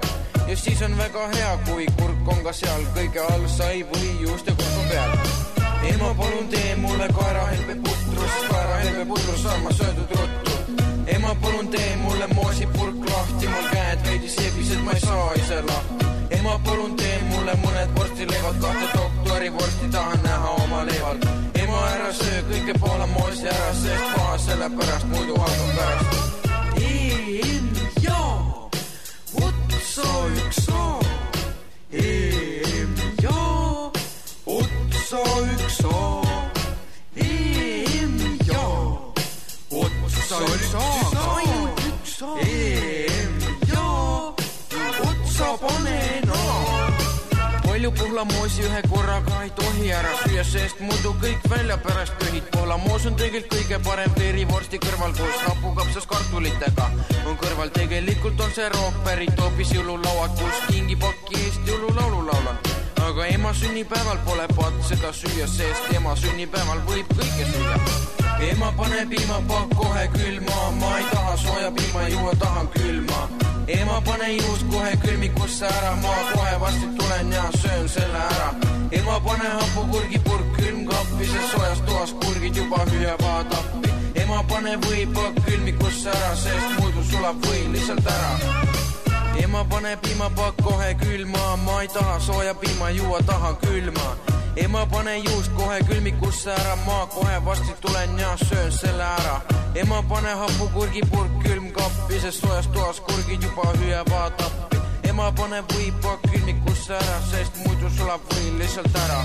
Ja siis on väga hea, kui kurk on ka seal kõige all sai või just ja kurk on peal. Ema palun tee mulle kaerahelbe putrus, kaerahelbe putrus saan ma söödud ruttu. Ema palun tee mulle moosipurk lahti, mul käed veidi sebised, ma ei saa ise lahti. Ema palun tee mulle mõned vorstileivad, kahte doktori vorsti tahan näha oma leival. Ema ära söö kõike Poola moosi ära, sest paha selle pärast muidu hakkab pärast. EM-ja, otsa üks A. EM-ja, otsa üks A. EM-ja, otsa üks A. EM-ja, otsa pane no. Palju pohlamoosi ühe korraga ei tohi ära süüa, sest muidu kõik välja pärast pühid. Pohlamoos on tegelikult kõige parem verivorsti kõrval koos rapukapsas kartulitega. On kõrval tegelikult on see rookpärit hoopis jõululauad, kus kingipakki eest jõululaulu laulan. Aga ema sünnipäeval pole patt seda süüa, sest ema sünnipäeval võib kõike süüa. Ema pane piimapakk kohe külma, ma ei taha sooja piima juua, tahan külma. Ema pane juust kohe külmikusse ära, ma kohe varsti tulen ja söön selle ära. Ema pane hapukurgi purk külmkappi, sest soojas toas kurgid juba hüüavad appi. Ema pane võipakk külmikusse ära, sest muidu sulab või lihtsalt ära. Ema pane piimapakk kohe külma, ma ei taha sooja piima juua, tahan külma. Ema pane juust kohe külmikusse ära, ma kohe varsti tulen ja söön selle ära. Ema pane hapukurgi purk külmkappi, sest soojas toas kurgid juba hüüavad appi. Ema pane võipakk külmikusse ära, sest muidu sulab või lihtsalt ära.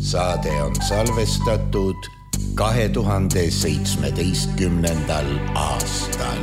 Saade on salvestatud 2017. aastal.